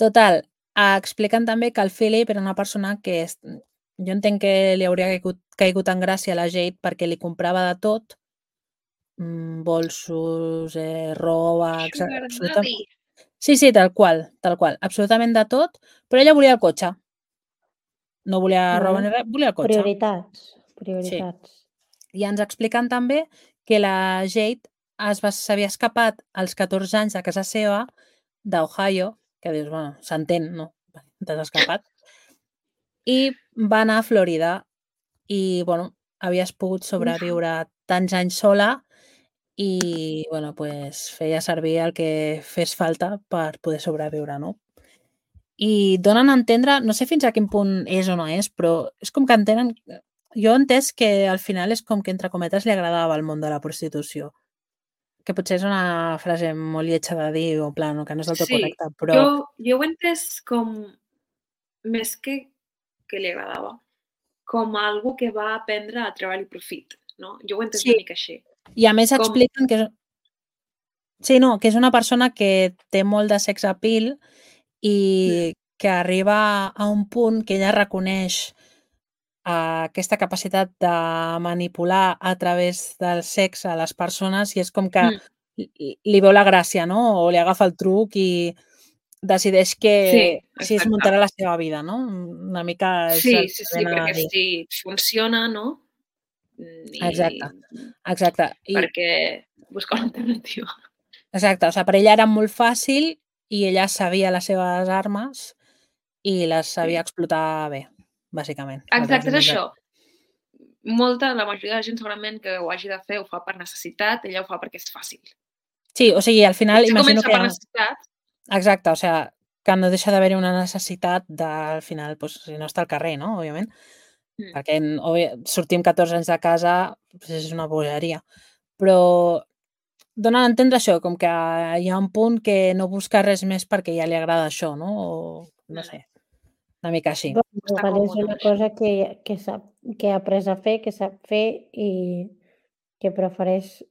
Total, expliquen també que el Philip era una persona que jo entenc que li hauria caigut en gràcia a la Jade perquè li comprava de tot, bolsos, roba... Absolutament. Sí, tal qual, absolutament de tot, però ella volia el cotxe. No volia roba ni res, volia el cotxe. Prioritats. Sí. I ens expliquen també que la Jade s'havia escapat als 14 anys de casa seva d'Ohio, que dius, bueno, s'entén, no? T'has escapat. I va anar a Florida i, bueno, havies pogut sobreviure tants anys sola i, bueno, pues feia servir el que fes falta per poder sobreviure, no? I donen a entendre, no sé fins a quin punt és o no és, però és com que entenen... Jo he entès que al final és com que, entre cometes, li agradava el món de la prostitució. Que potser és una frase molt lletja de dir, o en plan, que no és del tot correcta, però... Jo ho he entès com, més que li agradava, com algú que va aprendre a treure el profit, no? Jo ho he entès una mica així. I a més expliquen que... Sí, no, que és una persona que té molt de sex appeal i que arriba a un punt que ella reconeix aquesta capacitat de manipular a través del sexe a les persones i és com que li veu la gràcia, no? O li agafa el truc i decideix que així es muntarà la seva vida, no? Una mica... Sí, perquè si funciona, no? Exacte. Perquè busca una alternativa. Exacte, o sigui, per ella era molt fàcil i ella sabia les seves armes i les sabia explotar bé, bàsicament. Exacte, és això. La majoria de la gent segurament que ho hagi de fer ho fa per necessitat, ella ho fa perquè és fàcil. Sí, o sigui, al final Potser imagino comença que... per necessitat. Exacte, o sigui, que no deixa d'haver-hi una necessitat al final, doncs, si no està al carrer, no? Òbviament. Perquè sortim 14 anys de casa, doncs és una bogeria. Però dona a entendre això, com que hi ha un punt que no busca res més perquè ja li agrada això, no? O no sé, una mica així. Bueno, Està igual és còmode una amb això. cosa que ha après a fer, que sap fer i que prefereix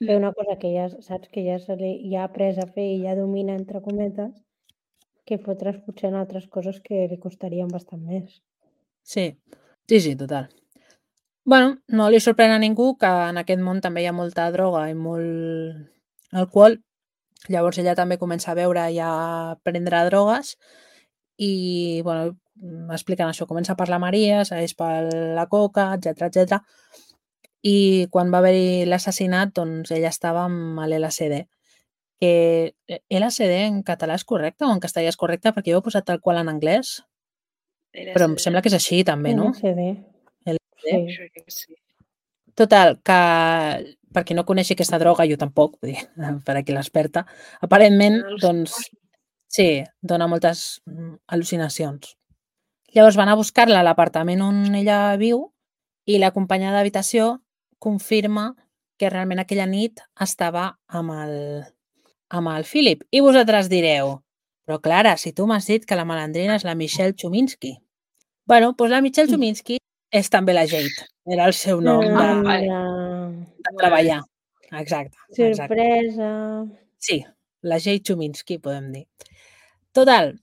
fer una cosa que ja saps que ja ha après a fer i ja domina, entre cometes, que fotre's potser en altres coses que li costarien bastant més. Sí, total. Bueno, no li sorprèn a ningú que en aquest món també hi ha molta droga i molt alcohol. Llavors ella també comença a beure i a prendre drogues i, bueno, expliquen això. Comença per la Maria, segueix per la coca, etc. I quan va haver-hi l'assassinat, doncs ella estava amb l'LSD. Que LSD en català és correcte o en castellà és correcte? Perquè jo ho he posat tal qual en anglès, però em sembla que és així també, no? LSD. LSD. Sí. Total, que per qui no coneixi aquesta droga, jo tampoc, vull dir, per aquí l'experta, aparentment, doncs, sí, dona moltes al·lucinacions. Llavors van a buscar-la a l'apartament on ella viu i la companya d'habitació confirma que realment aquella nit estava amb el Philip. I vosaltres direu, però Clara, si tu m'has dit que la malandrina és la Michelle Chuminski. Bueno, doncs la Michelle Chuminski és també la Jade. Era el seu nom de treballar. Exacte. Sorpresa. Sí, la Jade Chuminski, podem dir. Total,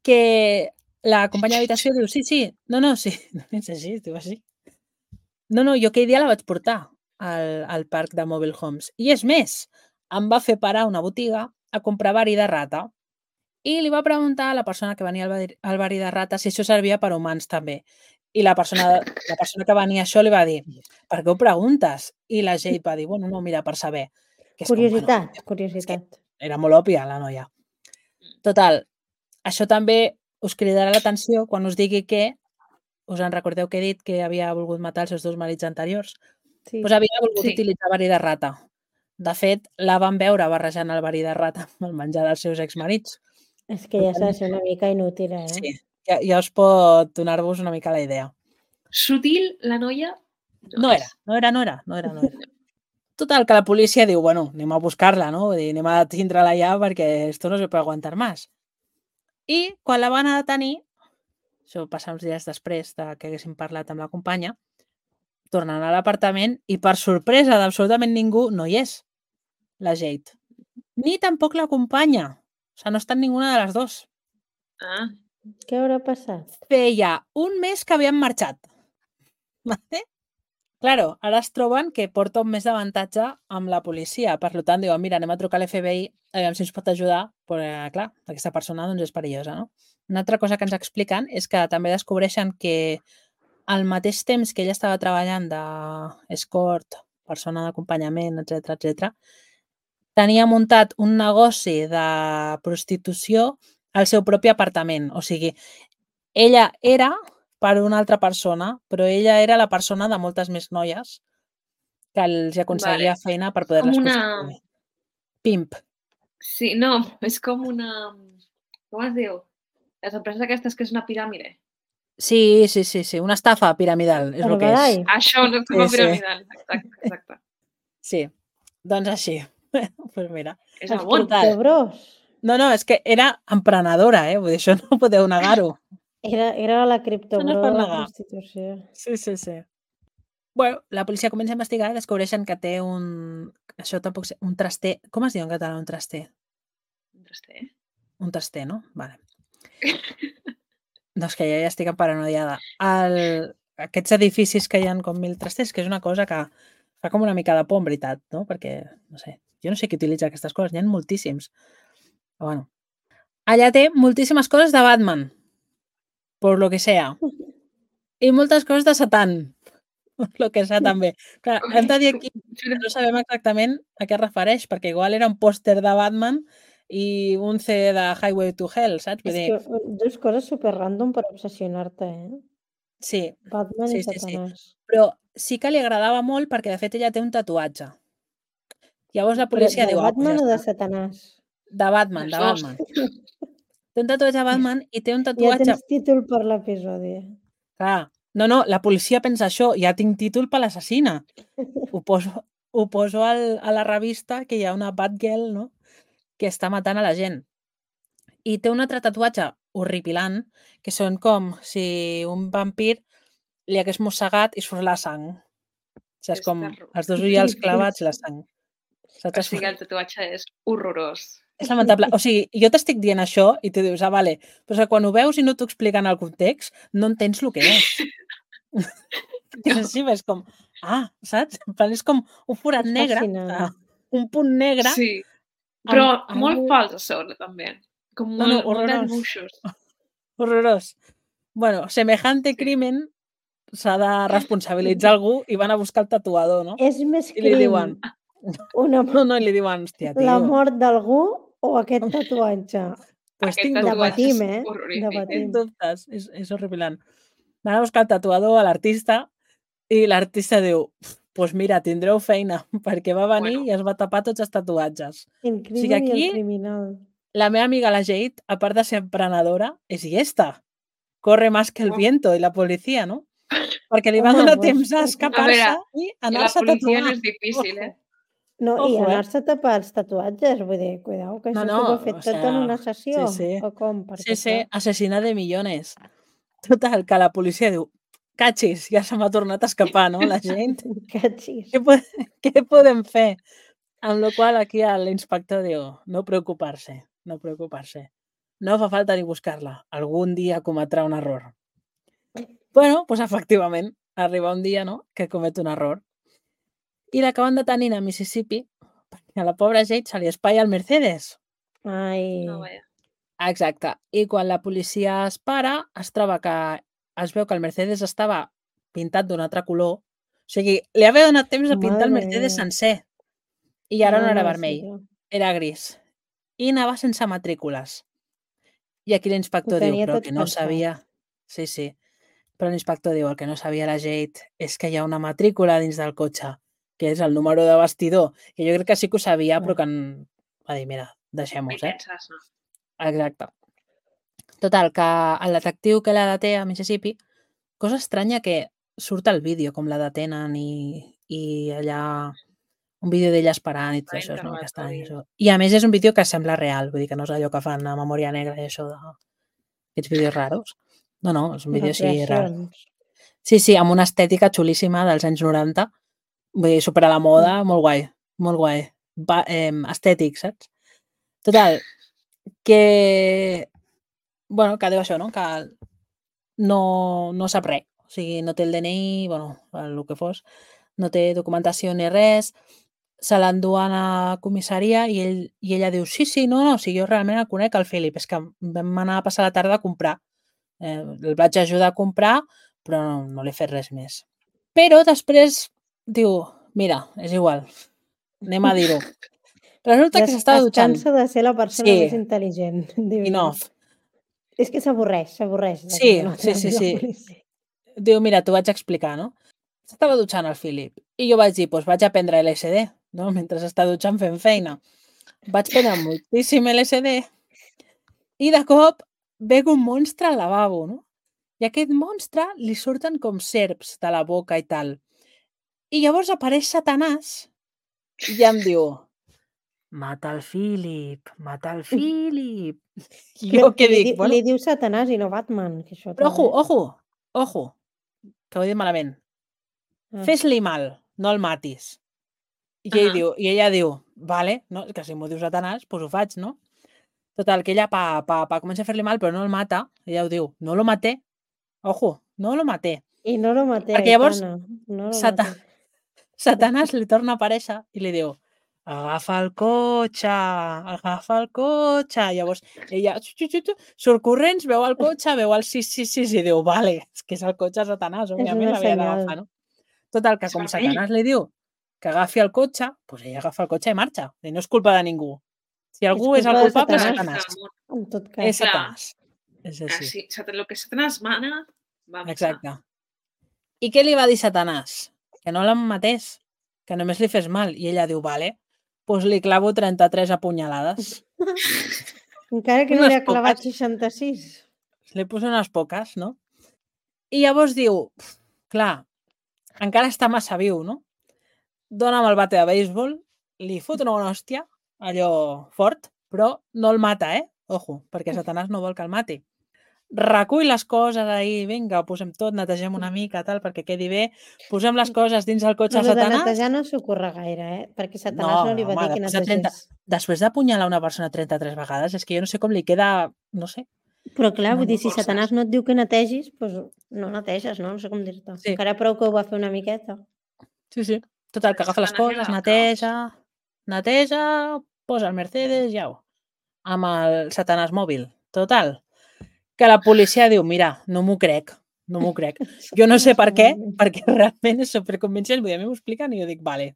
que la companya d'habitació diu, sí, sí, és així, es diu així. No, jo aquell dia la vaig portar al parc de Mobile Homes. I és més, em va fer parar a una botiga a comprar verí de rata i li va preguntar a la persona que venia al verí de rata si això servia per a humans també. I la persona que venia això li va dir, per què ho preguntes? I la Jade va dir, bueno, no, mira, per saber. Que és Curiositat. És que era molt òbvia, la noia. Total, això també us cridarà l'atenció quan us digui que us en recordeu que he dit que havia volgut matar els seus dos marits anteriors? Doncs havia volgut utilitzar verí de rata. De fet, la van veure barrejant el verí de rata amb el menjar dels seus exmarits. És que ja s'ha de ser una mica inútil, eh? Sí, ja us pot donar-vos una mica la idea. Sutil, la noia? No era. Total, que la policia diu, bueno, anem a buscar-la, no? Vull dir, anem a tindre-la ja perquè esto no se puede aguantar más. I quan la van a detenir, això passa uns dies després que haguéssim parlat amb la companya, tornen a l'apartament i per sorpresa d'absolutament ningú no hi és, la Jade. Ni tampoc la companya. O sigui, no està ninguna de les dos. Ah. Què haurà passat? Feia un mes que havien marxat. Vale? Claro, ara es troben que porta un mes d'avantatge amb la policia. Per tant, diuen, mira, anem a trucar a l'FBI, aviam si ens pot ajudar, però clar, aquesta persona doncs, és perillosa, no? Una altra cosa que ens expliquen és que també descobreixen que al mateix temps que ella estava treballant d'escort, persona d'acompanyament, etc, tenia muntat un negoci de prostitució al seu propi apartament. O sigui, ella era per una altra persona, però ella era la persona de moltes més noies que els aconseguia feina per poder-les prostituir. Pimp. Sí, no, és com una... Com es diu? Les empreses aquestes que és una piràmide. Sí, una estafa piramidal, és el que és. Això, una estafa piramidal, exacte. Sí, doncs així. Pues mira. És el món. No, és que era emprenedora, vull dir, això no podeu negar-ho. Era la criptobro de la prostitució. Sí. Bueno, la policia comença a investigar i descobreixen que té això tampoc sé, un traster. Com es diu en català un traster? Un traster? Un traster, no? Vale. Doncs que ja estic paranoiada. Aquests edificis que hi ha com 1000 trasters, que és una cosa que fa com una mica de por, en veritat, no? Perquè, no sé, jo no sé qui utilitza aquestes coses, n'hi ha moltíssims. Però bueno. Allà té moltíssimes coses de Batman, por lo que sea. I moltes coses de Satan, lo que sea també. Clar, hem de dir aquí que no sabem exactament a què es refereix, perquè igual era un pòster de Batman i un CD de Highway to Hell, saps? És que dues coses super random per obsessionar-te, eh? Sí. Batman i Satanàs. Però sí que li agradava molt perquè, de fet, ella té un tatuatge. Llavors la Però policia de diu, ja Batman o de està. Satanàs? De Batman, de Els dos. Batman. Té un tatuatge de Batman i té un Ja tatuatge... tens títol per l'episodi. Clar, no, la policia pensa això, ja tinc títol per l'assassina. Ho poso a la revista que hi ha una Batgirl, no?, que està matant a la gent. I té un altre tatuatge horripilant, que són com si un vampir li hagués mossegat i surt la sang. Saps, És com terror. els dos ullals clavats i la sang. O Saps? sigui, el tatuatge és horrorós. És lamentable. O sigui, jo t'estic dient això i tu dius, vale, però és que quan ho veus i no t'ho expliquen el context, no entens el que és. És així, és com, saps? En plan, és com un forat És negre, fascinant. un punt negre. Sí, però amb molt algú- fals a sobre, també. Com No, molt, molt horrorós. d'esbuixos. Horrorós. Bueno, semejante crimen s'ha de responsabilitzar algú i van a buscar el tatuador, no? És més I li crim diuen... No, i li diuen, hòstia, tio... la mort d'algú o aquest tatuatge? Pues Aquest tinc tatuatge dubtes. Debatim, és horrorífic. Debatim. Tinc dubtes. És horripilant. Van a buscar el tatuador, a l'artista, i l'artista diu, pues mira, tindreu feina, perquè va venir Bueno. i es va tapar tots els tatuatges. El O sigui, crimen i aquí- el criminal. La meva amiga la Jade, a part de ser emprenedora, és llesta. Corre más que el viento i la policia, no? Perquè li va Home, donar pues, temps a A escapar-se veure, i I la anar-se a policia tatuar. no és difícil, eh? No, i Ojo, anar-se a tapar els tatuatges, vull dir, cuidao, que No, això no, s'ho ha fet o tot en sea, una sessió. sí. O com? Perquè Sí, assassina de millones. Total, que la policia diu, cachis, ja se m'ha tornat a escapar, no, la gent? Cachis. Què podem fer? Amb la qual aquí l'inspector diu, no preocupar-se, no preocupar-se. No fa falta ni buscar-la. Algun dia cometrà un error. Bueno, pues efectivament, arriba un dia, no?, que comet un error. I l'acaben detenint a Mississippi perquè a la pobra Jade se li espatlla el Mercedes. Ai, No, vaja. Exacte. I quan la policia es para, es troba que es veu que el Mercedes estava pintat d'un altre color. O sigui, li havia donat temps a pintar el Madre Mercedes mia. sencer. I ara no era sí, vermell, clar. era gris. I anava sense matrícules. I aquí l'inspector Ho diu, tenia però el tot que no pensat. sabia... Sí. Però l'inspector diu, el que no sabia la Jade és que hi ha una matrícula dins del cotxe, que és el número de bastidor. Que jo crec que sí que ho sabia, però que va dir, mira, deixem-ho, I saps? penses, no? Exacte. Total, que el detectiu que la deté a Mississippi, cosa estranya que surt al vídeo, com la detenen i allà un vídeo d'ella esperant i tot Va això, és una mica estrany. interrogatori. Això. I a més és un vídeo que sembla real, vull dir que no és allò que fan a Memòria Negra i això d'aquests vídeos raros. No, és un vídeo així real. Recreacions. Sí, amb una estètica xulíssima dels anys 90, vull dir, super a la moda, molt guai, molt guai. Estètic, saps? Total, que... Bueno, que diu això, no? Que no sap res. O sigui, no té el DNI, bueno, el que fos, no té documentació ni res, se l'enduen a comissaria i ella diu, sí, no, si jo realment el conec, el Philip, és que vam anar a passar la tarda a comprar. El vaig ajudar a comprar, però no li he fet res més. Però després diu, mira, és igual, anem a dir-ho. Resulta que s'estava Es dutxant. cansa de ser la persona Sí. més intel·ligent. Diu, Enough. És que s'avorreix. de Sí, que no sí. atrapi la policia. Diu, mira, t'ho vaig explicar, no? S'estava dutxant el Philip. I jo vaig dir, doncs vaig a prendre LSD, no? Mentre està dutxant fent feina. Vaig prendre moltíssim LSD i de cop veig un monstre al lavabo, no? I a aquest monstre li surten com serps de la boca i tal. I llavors apareix Satanàs i em diu, mata el Philip, mata el Philip. I jo què dic? Bueno, Li diu Satanàs i no Batman. Que això però també. ojo, que ho he dit malament. Ah. Fes-li mal, no el matis. I ella diu, vale, no? Que si m'ho diu Satanàs, doncs ho faig, no? Total, que ella comença a fer-li mal, però no el mata. Ella ho diu, no lo maté. Ojo, no lo maté. I no lo maté, Perquè llavors Aitana. No lo maté. Satanàs li torna a aparèixer i li diu, agafa el cotxe. Llavors ella surt corrents, veu el cotxe, veu el 666 i diu, vale, és que és el cotxe de Satanàs, òbviament l'havia d'agafar, no? Total, que com Satanàs li diu que agafi el cotxe, doncs ella agafa el cotxe i marxa. I no és culpa de ningú. Si algú és el culpa de culpable, és Satanàs. Satanàs. En tot cas. És Satanàs. És així. Sí, el que Satanàs mana, va passar. Exacte. I què li va dir Satanàs? Que no la matés, que només li fes mal. I ella diu, vale, doncs li clavo 33 apunyalades. Encara que no Unes li ha clavat poques. 66. Li poso unes poques, no? I llavors diu, clar, encara està massa viu, no? Dóna'm el bate de béisbol, li fot una bona hòstia, allò fort, però no el mata, Ojo, perquè Satanàs no vol que el mati. Recull les coses ahí, vinga, posem tot, netegem una mica, tal, perquè quedi bé. Posem les coses dins el cotxe Però de el de Satanàs. netejar no s'ocorre gaire, Perquè Satanàs no li va dir que netegés. Després d'apunyalar una persona 33 vegades, és que jo no sé com li queda, no sé. Però clar, No, vull dir, no si forces. Satanàs no et diu que netegis, doncs no neteges, no? No sé com dir-te. Sí. Encara prou que ho va fer una miqueta. Sí. Total, que agafa les Satanàs coses, era neteja, posa el Mercedes, ja amb el Satanàs mòbil. Total, que la policia diu, mira, no m'ho crec. Jo no sé per què, perquè realment és superconvincent. Vull dir, a mi m'ho expliquen i jo dic, vale.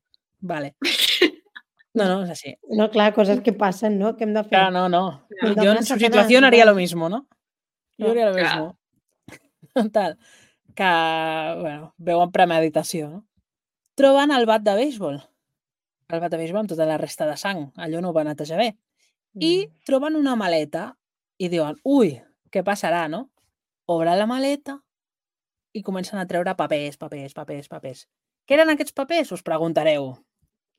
No, és així. No, clar, coses que passen, no? Què hem de fer? Claro, no. Hem Yo en demanar su Satanàs, situación haría lo vale. mismo, ¿no? Clar. Jo haria lo Clar. mismo. Total, que, bueno, veuen premeditació, no? Troben el bat de béisbol. El bat de béisbol amb tota la resta de sang. Allò no ho va netejar bé. I troben una maleta i diuen, ui, què passarà, no? Obren la maleta i comencen a treure papers. Què eren aquests papers? Us preguntareu.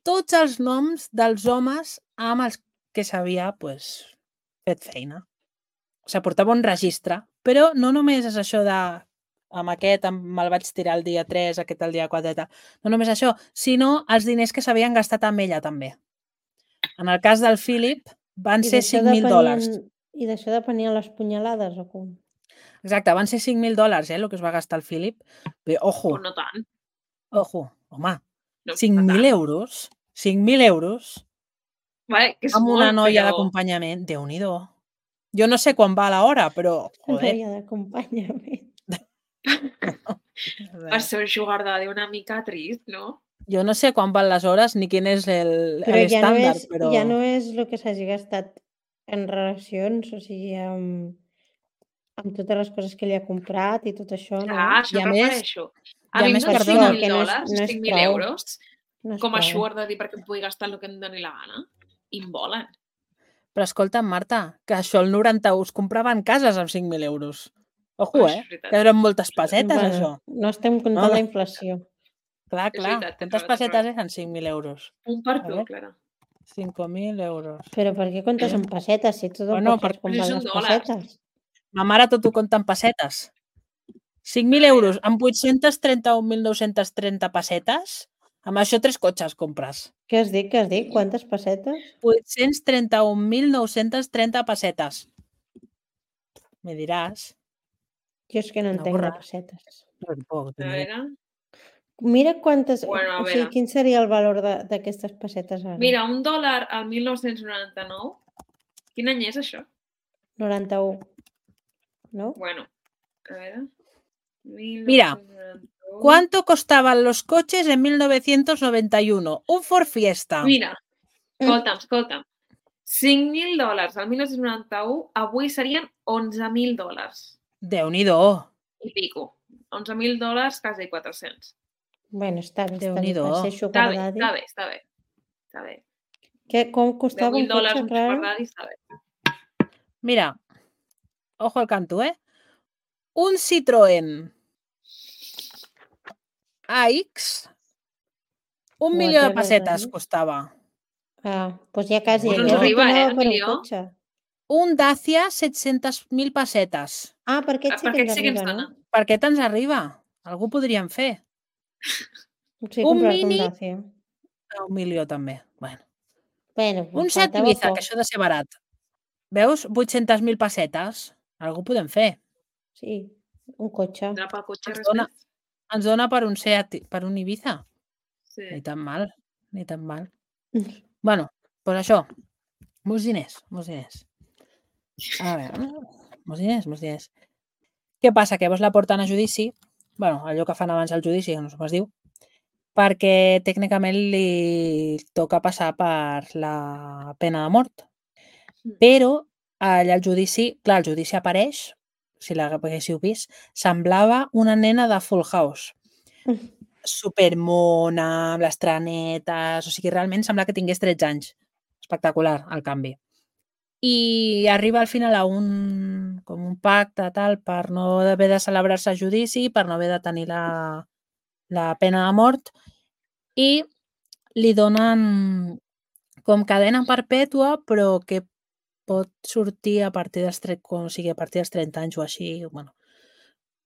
Tots els noms dels homes amb els que s'havia fet feina. O sigui, portava un registre, però no només és això de amb aquest me'l vaig tirar el dia 3, aquest el dia 4 i tal. No només això, sinó els diners que s'havien gastat amb ella també. En el cas del Philip van ser $5.000. I d'això depenien les punyalades o com? Exacte, van ser $5.000, el que es va gastar el Philip. Bé, ojo, Però no tant. home, No, 5.000 euros. 5.000 euros Vale, que és amb molt, una noia però... d'acompanyament. Déu-n'hi-do. Jo no sé quan va l'hora, però, joder. Noia d'acompanyament. Per ser un sugar daddy una mica trist, no? Jo no sé quan van les hores ni quin és Però l'estàndard, però... ja no és el que s'hagi gastat en relacions, o sigui, amb totes les coses que li ha comprat i tot això, no? Clar, això I a em més- refereixo. i a A mi més, em dones perdona, que no és- $5.000, no és 5.000 prou. euros, No és com a prou. sugar daddy perquè em pugui gastar el que em doni la gana. I em volen. Però escolta'm, Marta, que això el 91 es compraven cases amb 5.000 euros. Ojo, Això és veritat. Que eren moltes pessetes, Bueno, això. no estem comptant No. la inflació. Clar. És veritat, tens Quantes raó, pessetes eren 5.000 euros? Un per A tu, veure. Clara. 5.000 euros. Però per què comptes en pessetes, si tu Bueno, tampoc saps com perquè van són les dòlars. pessetes? Ma mare tot ho compta en pessetes. 5.000 A veure. euros amb 831.930 pessetes, amb això 3 cotxes compres. Què has dit? Quantes pessetes? 831.930 pessetes. Me diràs. Jo és que no No, entenc de borra. pessetes. Tampoc, A ni idea. veure... Mira quantes... Bueno, a o sigui, veure. quin seria el valor d'aquestes pessetes ara? Mira, $1 al 1999. Quin any és això? 91. No? Bueno, a veure... Mira, 1991. ¿Cuánto costaban los coches en 1991? Un Ford Fiesta. Mira, escolta'm. $5.000 al 1991 avui serien $11.000 Déu-n'hi-do. i pico. $11.000, quasi 400. Bueno, està bé. Déu-n'hi-do. Per ser Està sugar bé, daddy. està bé. Com costava un $10.000 cotxe, un Clara? sugar daddy està bé. Mira, ojo al canto, Un Citroën AX, 1 milió de Whatever, pessetes daddy. costava. Ah, doncs ja quasi. Bueno, Aquest ens arriba, anava un per un milió. cotxe. Un Dacia, 700.000 pessetes. Ah, per aquest sí Per que ens aquest sí que ens arriba, dona. no? Per què te'ns arriba? Algú podríem fer. Sí, Un comprar-te Mini. un Dacia. A 1 milió també. Bueno. Bueno, Un Seat faltava Ibiza, poc. que això ha de ser barat. Veus? 800.000 pessetes. Algú podem fer. Sí, un cotxe. Anar pel cotxe, Ens res dona. més. Ens dona per un Seat, per un Ibiza. Sí. Ni tan mal. Bueno, doncs això. Molts diners. A veure, molts diners. Què passa? Que llavors la porten a judici, allò que fan abans al judici, que no sé com es diu, perquè tècnicament li toca passar per la pena de mort. Però allà al judici, clar, el judici apareix, si l'haguéssiu vist, semblava una nena de Full House. supermona, amb les trenetes, o sigui, realment sembla que tingués 13 anys. Espectacular, el canvi. I arriba al final a com un pacte tal per no haver de celebrar-se a judici, per no haver de tenir la pena de mort, i li donen com cadena perpètua, però que pot sortir a partir dels 30 anys o així. Bueno.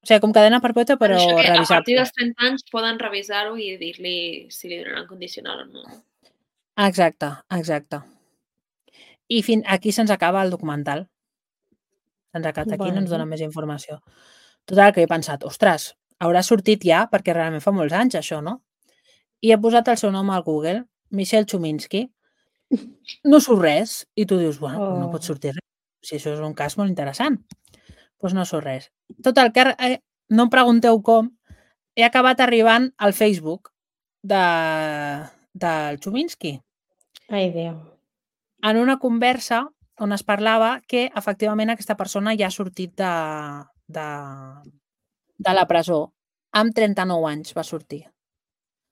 O sigui, com cadena perpètua, però Això que a partir revisable. dels 30 anys poden revisar-ho i dir-li si li donaran condicional o no. Exacte. I aquí se'ns acaba el documental. Se'ns acaba aquí, no ens dona més informació. Total, que he pensat, ostres, haurà sortit ja, perquè realment fa molts anys això, no? I he posat el seu nom al Google, Michel Chuminsky. No surt res. I tu dius, bueno, no pot sortir res. Si això és un cas molt interessant. Doncs no surt res. Total, que no em pregunteu com, he acabat arribant al Facebook del Chuminsky. Ai, Déu. En una conversa on es parlava que efectivament aquesta persona ja ha sortit de la presó. Amb 39 anys va sortir. O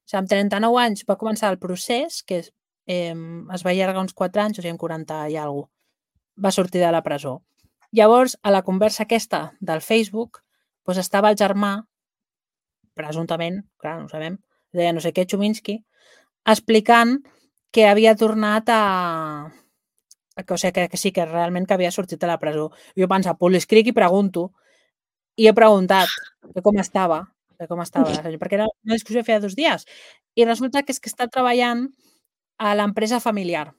sigui, amb 39 anys va començar el procés, que es va allargar uns 4 anys, o sigui, amb 40 i alguna cosa, va sortir de la presó. Llavors, a la conversa aquesta del Facebook, doncs estava el germà, presumptament, clar, no ho sabem, deia no sé què, Chuminsky, explicant que havia tornat o sigui, que sí, que realment que havia sortit de la presó. Jo pensava, pues l'escric i pregunto. I he preguntat com estava, perquè era una discussió que feia 2 dies. I resulta que és que està treballant a l'empresa familiar.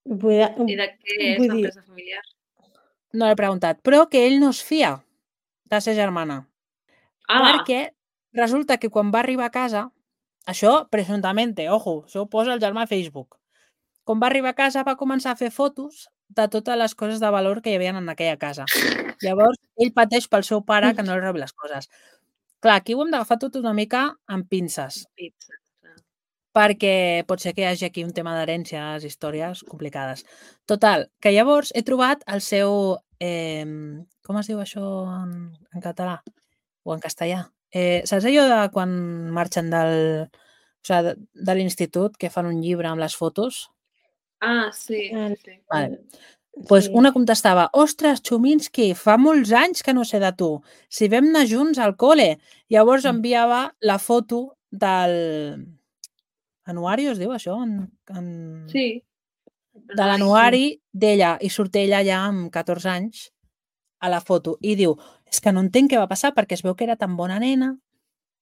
I de què és l'empresa familiar? No l'he preguntat, però que ell no es fia de ser germana. Perquè resulta que quan va arribar a casa, això presumptament, ojo, això ho posa el germà a Facebook. Quan va arribar a casa va començar a fer fotos de totes les coses de valor que hi havia en aquella casa. Llavors, ell pateix pel seu pare que no li rebi les coses. Clar, aquí ho hem d'agafar tot una mica amb pinces. Perquè pot ser que hi hagi aquí un tema d'herències, històries complicades. Total, que llavors he trobat el seu... com es diu això en català? O en castellà? Saps allò de quan marxen de l'institut, que fan un llibre amb les fotos? Sí. Vale. Pues una contestava, ostres, Chuminsky, fa molts anys que no sé de tu. Si vam anar junts al col·le. Llavors enviava la foto del... Anuari, es diu això? Sí. De l'anuari d'ella. I surt ella ja amb 14 anys a la foto. I diu, és que no entenc què va passar, perquè es veu que era tan bona nena,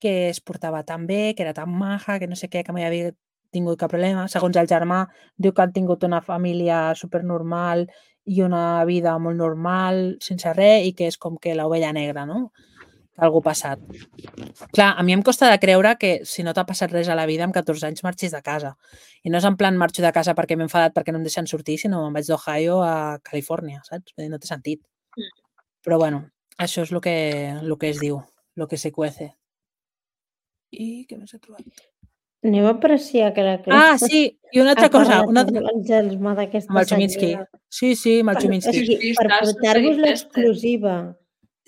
que es portava tan bé, que era tan maja, que no sé què, que mai havia tingut cap problema. Segons el germà, diu que han tingut una família supernormal i una vida molt normal, sense res, i que és com que l'ovella negra, no? Que algú ha passat. Clar, a mi em costa de creure que si no t'ha passat res a la vida amb 14 anys marxis de casa. I no és en plan marxo de casa perquè m'he enfadat perquè no em deixen sortir, sinó me'n vaig d'Ohio a Califòrnia, saps? No té sentit. Però bueno, això és el que es diu, el que se cuece. I què més he trobat? Anem a apreciar que la Clara... sí, i una altra cosa. Amb el Chuminsky. Sí, amb el Chuminsky. Per portar-vos l'exclusiva.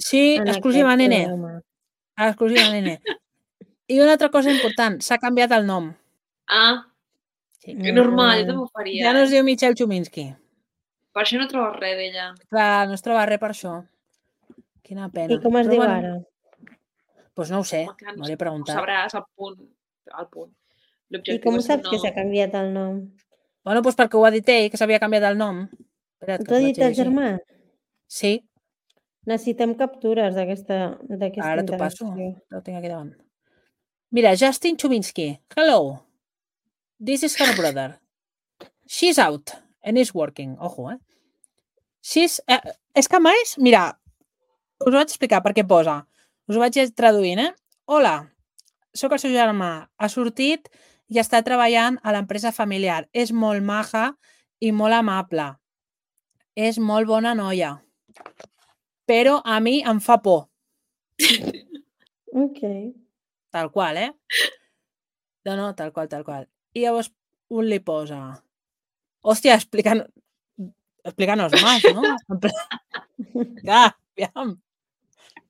Sí, exclusiva, nene. Exclusiva, nene. I una altra cosa important, s'ha canviat el nom. Sí. Que normal, jo també ho faria. Ja no es diu Michel Chuminsky. Per això no trobes res d'ella. Clar, no es troba res per això. Quina pena. I com es diu ara? Doncs no ho sé, no l'he preguntat. Ho sabràs al punt. I com saps que s'ha canviat el nom? Bueno, doncs perquè ho ha dit ell, que s'havia canviat el nom. T'ho ha dit el germà? Sí. Necessitem captures d'aquesta Ara t'ho passo, ho tinc aquí davant. Mira, Justin Chuminsky. Hello. This is her brother. She's out and is working. Ojo, She's... és que a més, mira, us ho vaig explicar per què posa. Us ho vaig traduint, Hola, sóc el seu germà. Ha sortit i està treballant a l'empresa familiar. És molt maja i molt amable. És molt bona noia. Però a mi em fa por. Ok. Tal qual, No, tal qual. I llavors un li posa... Hòstia, explícanos más, ¿no? Clar, aviam.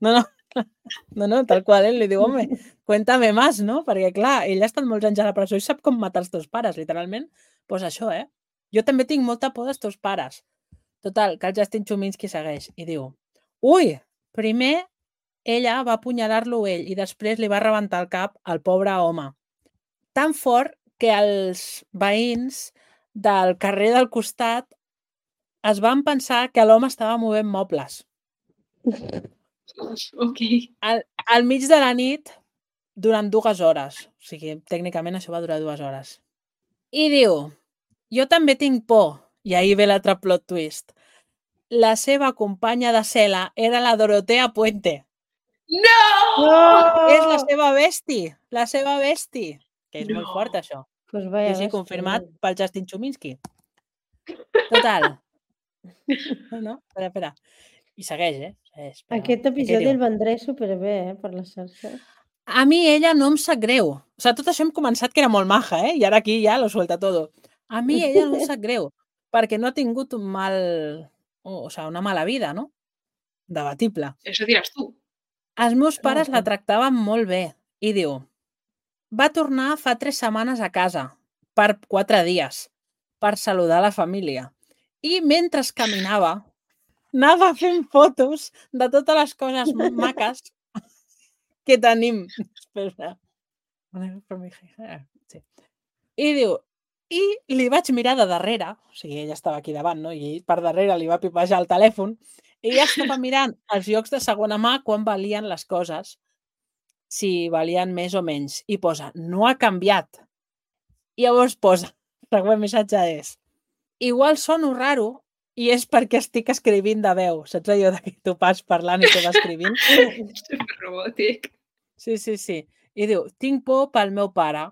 No, tal qual, li diu, home, cuéntame más, no? Perquè, clar, ell ha estat molts anys a la presó i sap com matar els teus pares, literalment. Doncs això, Jo també tinc molta por dels teus pares. Total, que el Justin Chuminski segueix i diu: ui, primer ella va apunyalar-lo ell i després li va rebentar el cap al pobre home. Tan fort que els veïns del carrer del costat es van pensar que l'home estava movent mobles. Ok. Al mig de la nit, durant 2 hores. O sigui, tècnicament això va durar 2 hores. I diu, jo també tinc por. I ahir ve l'altre plot twist. La seva companya de cel·la era la Dorotea Puente. No! És la seva besti. La seva besti. Que és molt No. fort, això. Pues vaya, Sí, confirmat pel Justin Chuminski. Total. No? Espera. I segueix, Segueix, però... Aquest episodi el vendré superbé, per les xarxes. A mi ella no em sap greu. O sigui, tot això hem començat que era molt maja, I ara aquí ja lo suelta todo. A mi ella no em sap greu, perquè no ha tingut un mal... O sigui, una mala vida, no? Debatible. Eso diràs tu. Els meus pares la tractaven molt bé. I diu, va tornar fa 3 setmanes a casa, per 4 dies, per saludar la família. I mentre caminava, anava fent fotos de totes les coses maques que tenim. Espera. Sí. I diu, i li vaig mirar de darrere, o sigui, ella estava aquí davant, no? I per darrere li va pipejar el telèfon, i ella estava mirant els llocs de segona mà quan valien les coses, si valien més o menys, i posa, no ha canviat. I llavors posa, el següent missatge és, igual sono raro i és perquè estic escrivint de veu. Saps allò que tu vas parlant i tu vas escrivint? Superrobòtic. Sí. I diu, tinc por pel meu pare.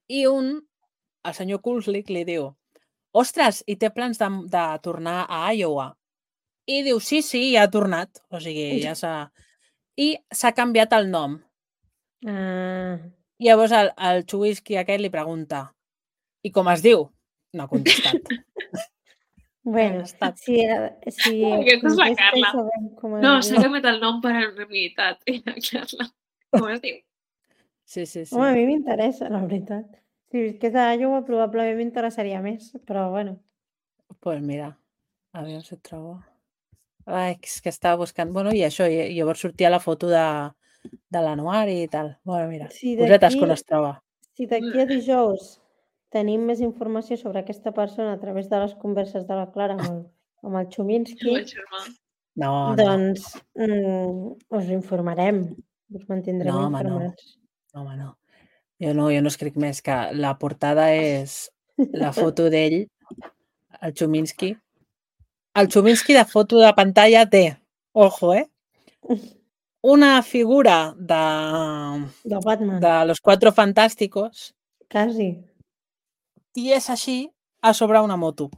I el senyor Kulslik li diu, ostres, i té plans de tornar a Iowa? I diu, sí, ja ha tornat. O sigui, ja s'ha... I s'ha canviat el nom. I llavors el Chuminski aquest li pregunta, i com es diu? No ha contestat. Bueno, si Aquesta és la Carla. No, s'ha canviat el nom per anonimitat. La Carla. Com es diu? Sí. Home, a mi m'interessa, la veritat. Si visqués a Iowa, probablement m'interessaria més, però bueno. Pues mira, a veure si et trobo. Ai, és que estava buscant... Bueno, i això, i llavors sortia la foto de l'Anuar i tal. Bueno, mira, cosetes quan es troba. Si d'aquí a dijous tenim més informació sobre aquesta persona a través de les converses de la Clara amb el Chuminski, doncs us informarem, us mantindrem informats. No, home, no. Jo no escric més, que la portada és la foto d'ell, el Chuminski. El Chuminski de foto de pantalla té, ojo, una figura de Batman, de los Cuatro Fantásticos. Quasi. I és així a sobre una moto.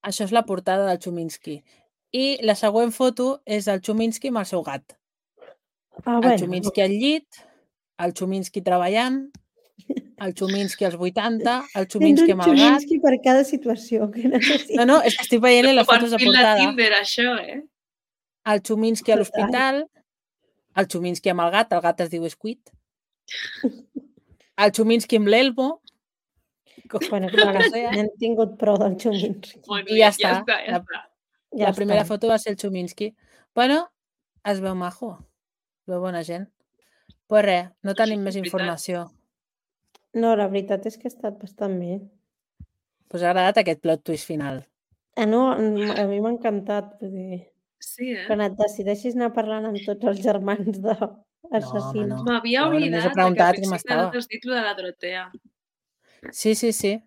Això és la portada del Chuminski. I la següent foto és el Chuminski amb el seu gat. El Chuminski al llit, el Chuminski treballant, el Chuminski als 80, el Chuminski amb el gat... Tens un Chuminski per cada situació que necessites. No, és que estic veient les fotos de portada. Per Tinder, això, El Chuminski a l'hospital, el Chuminski amb el gat es diu Squid, el Chuminski amb l'Elmo... Bueno, clar, hem tingut prou del Chuminski. I ja està. La primera foto va ser el Chuminski. Bueno, es veu majo. Es veu bona gent. Pues res, no tenim més informació. No, la veritat és que ha estat bastant bé. Pues ha agradat aquest plot twist final. No, a mi m'ha encantat. Sí, quan et decideixis anar parlant amb tots els germans d'assassins. No. M'havia oblidat que al principi no t'has dit de la Dorotea. Sí.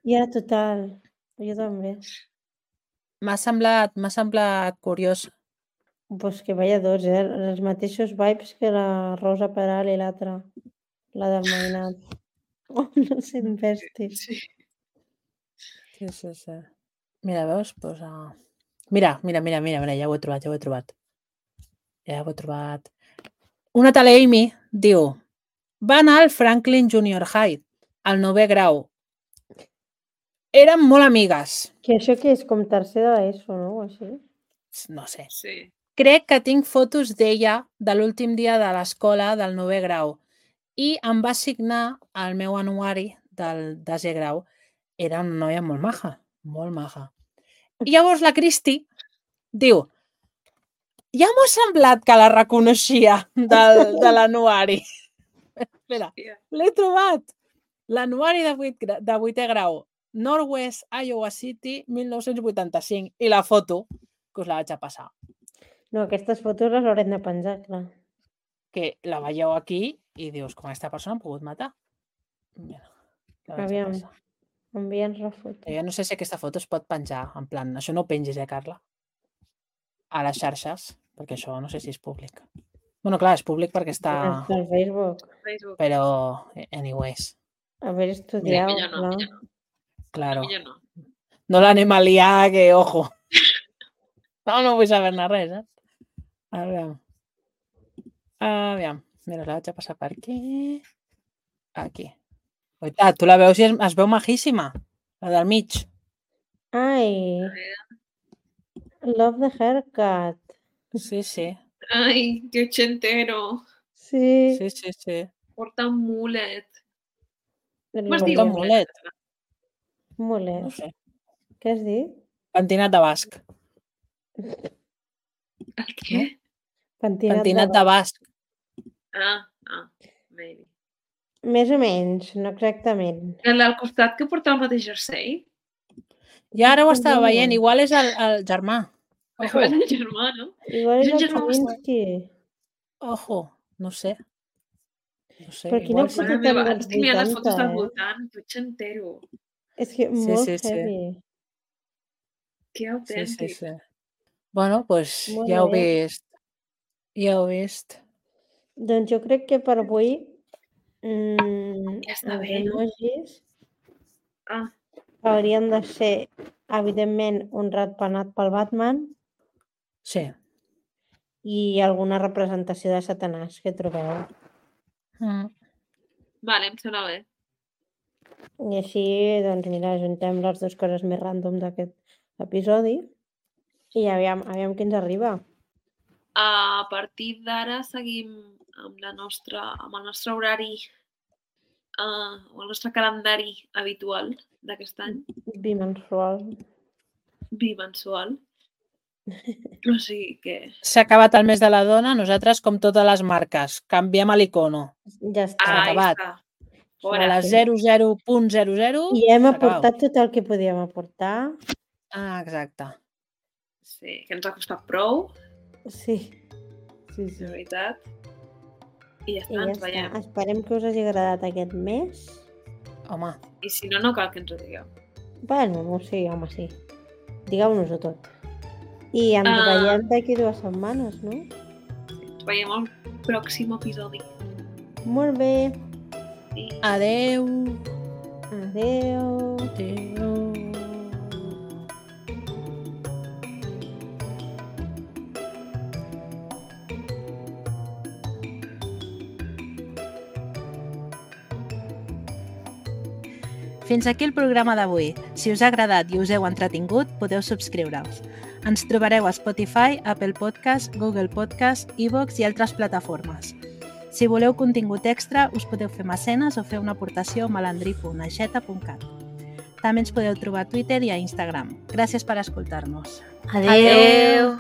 Ja, total. Jo també. M'ha semblat curiós. Pues que vaya dos, els mateixos vibes que la Rosa Peral i l'altra, la del Mainat. Oh, no s'investis. Sí. Mira, veus? Pues, Mira, ja ho he trobat. Una tal Amy diu, va anar al Franklin Junior High, al 9è grau. Eren molt amigues. Que això que és com tercer de l'ESO, no? O així? No sé. Sí. Crec que tinc fotos d'ella de l'últim dia de l'escola del 9è grau i em va signar el meu anuari del desè grau. Era una noia molt maja, molt maja. I llavors la Cristi diu, ja m'ho ha semblat que la reconeixia de l'anuari. Espera, l'he trobat. L'anuari de 8è grau, Northwest Iowa City, 1985. I la foto, que us la vaig a passar. No, aquestes fotos les haurem de penjar, clar. Que la veieu aquí i dius, com aquesta persona ha pogut matar? Mira, la vaig a Aviam, passar. envia'ns la foto. Jo no sé si aquesta foto es pot penjar, en plan, això no ho pengis, Carla? A les xarxes, perquè això no sé si és públic. Bueno, clar, és públic perquè està... Està al Facebook. Facebook. Però, anyways, Haver estudiat, Millor no, clar. millor no. claro. Millor no. No l'anem a liar, que ojo. No vull saber-ne res, eh? Aviam. Mira, la vaig a passar per aquí. Aquí. Oita, tu la veus i es veu majíssima. La del mig. Ai, love the haircut. Sí, sí. Ai, que ochentero. Sí. Sí, sí, sí. Porta un mulet. El Com es diu? Porta un mulet. Mulet. No sé. Què has dit? Pentinat de basc. El què? Pentinat de basc. Maybe. Més o menys, no exactament. El del costat que porta el mateix jersei? I ara ho estava veient. Igual és el germà. Ojo. És el germà, no? Igual és És el el germà Kavinsky. Ojo. No sé. No sé. Però quina Igual sí. foto Mare meva, dels estic mirant les 80, fotos del voltant, que ochentero. És que Sí, molt sí, sí. heavy. Que Sí, autèntic. sí, sí. Bueno, doncs Molt ja heu bé. vist. Ja heu vist. Doncs jo crec que per avui Ja està els bé, no? emojis Ah, haurien de ser, evidentment, un ratpenat pel Batman Sí. i alguna representació de Satanàs que trobeu. vale, em sembla bé. I així, doncs mira, ajuntem les dues coses més random d'aquest episodi i aviam què ens arriba. A partir d'ara seguim amb el nostre horari o el nostre calendari habitual d'aquest any, Bimensual. bimensual. O sigui que... S'ha acabat el mes de la dona, nosaltres, com totes les marques, canviem a l'icono. Ja està. S'ha acabat. està. A Fora. les 00.00 I hem s'acaba. aportat tot el que podíem aportar. Ah, exacte. Sí, que ens ha costat prou, Sí. Sí, de sí. veritat. I ja I està, ja ens està. veiem. Esperem que us hagi agradat aquest mes. Home, I si no, no cal que ens ho digueu. Bueno, no sé, home, sí. Digueu-nos-ho tot. I ens veiem d'aquí 2 setmanes, no? Ens veiem al pròxim episodi. Molt bé. I adeu. Adéu. Adeu. Fins aquí el programa d'avui. Si us ha agradat i us heu entretingut, podeu subscriure-us. Ens trobareu a Spotify, Apple Podcast, Google Podcast, iVoox i altres plataformes. Si voleu contingut extra, us podeu fer mecenes o fer una aportació a malandri.aixeta.cat. També ens podeu trobar a Twitter i a Instagram. Gràcies per escoltar-nos. Adéu. adeu!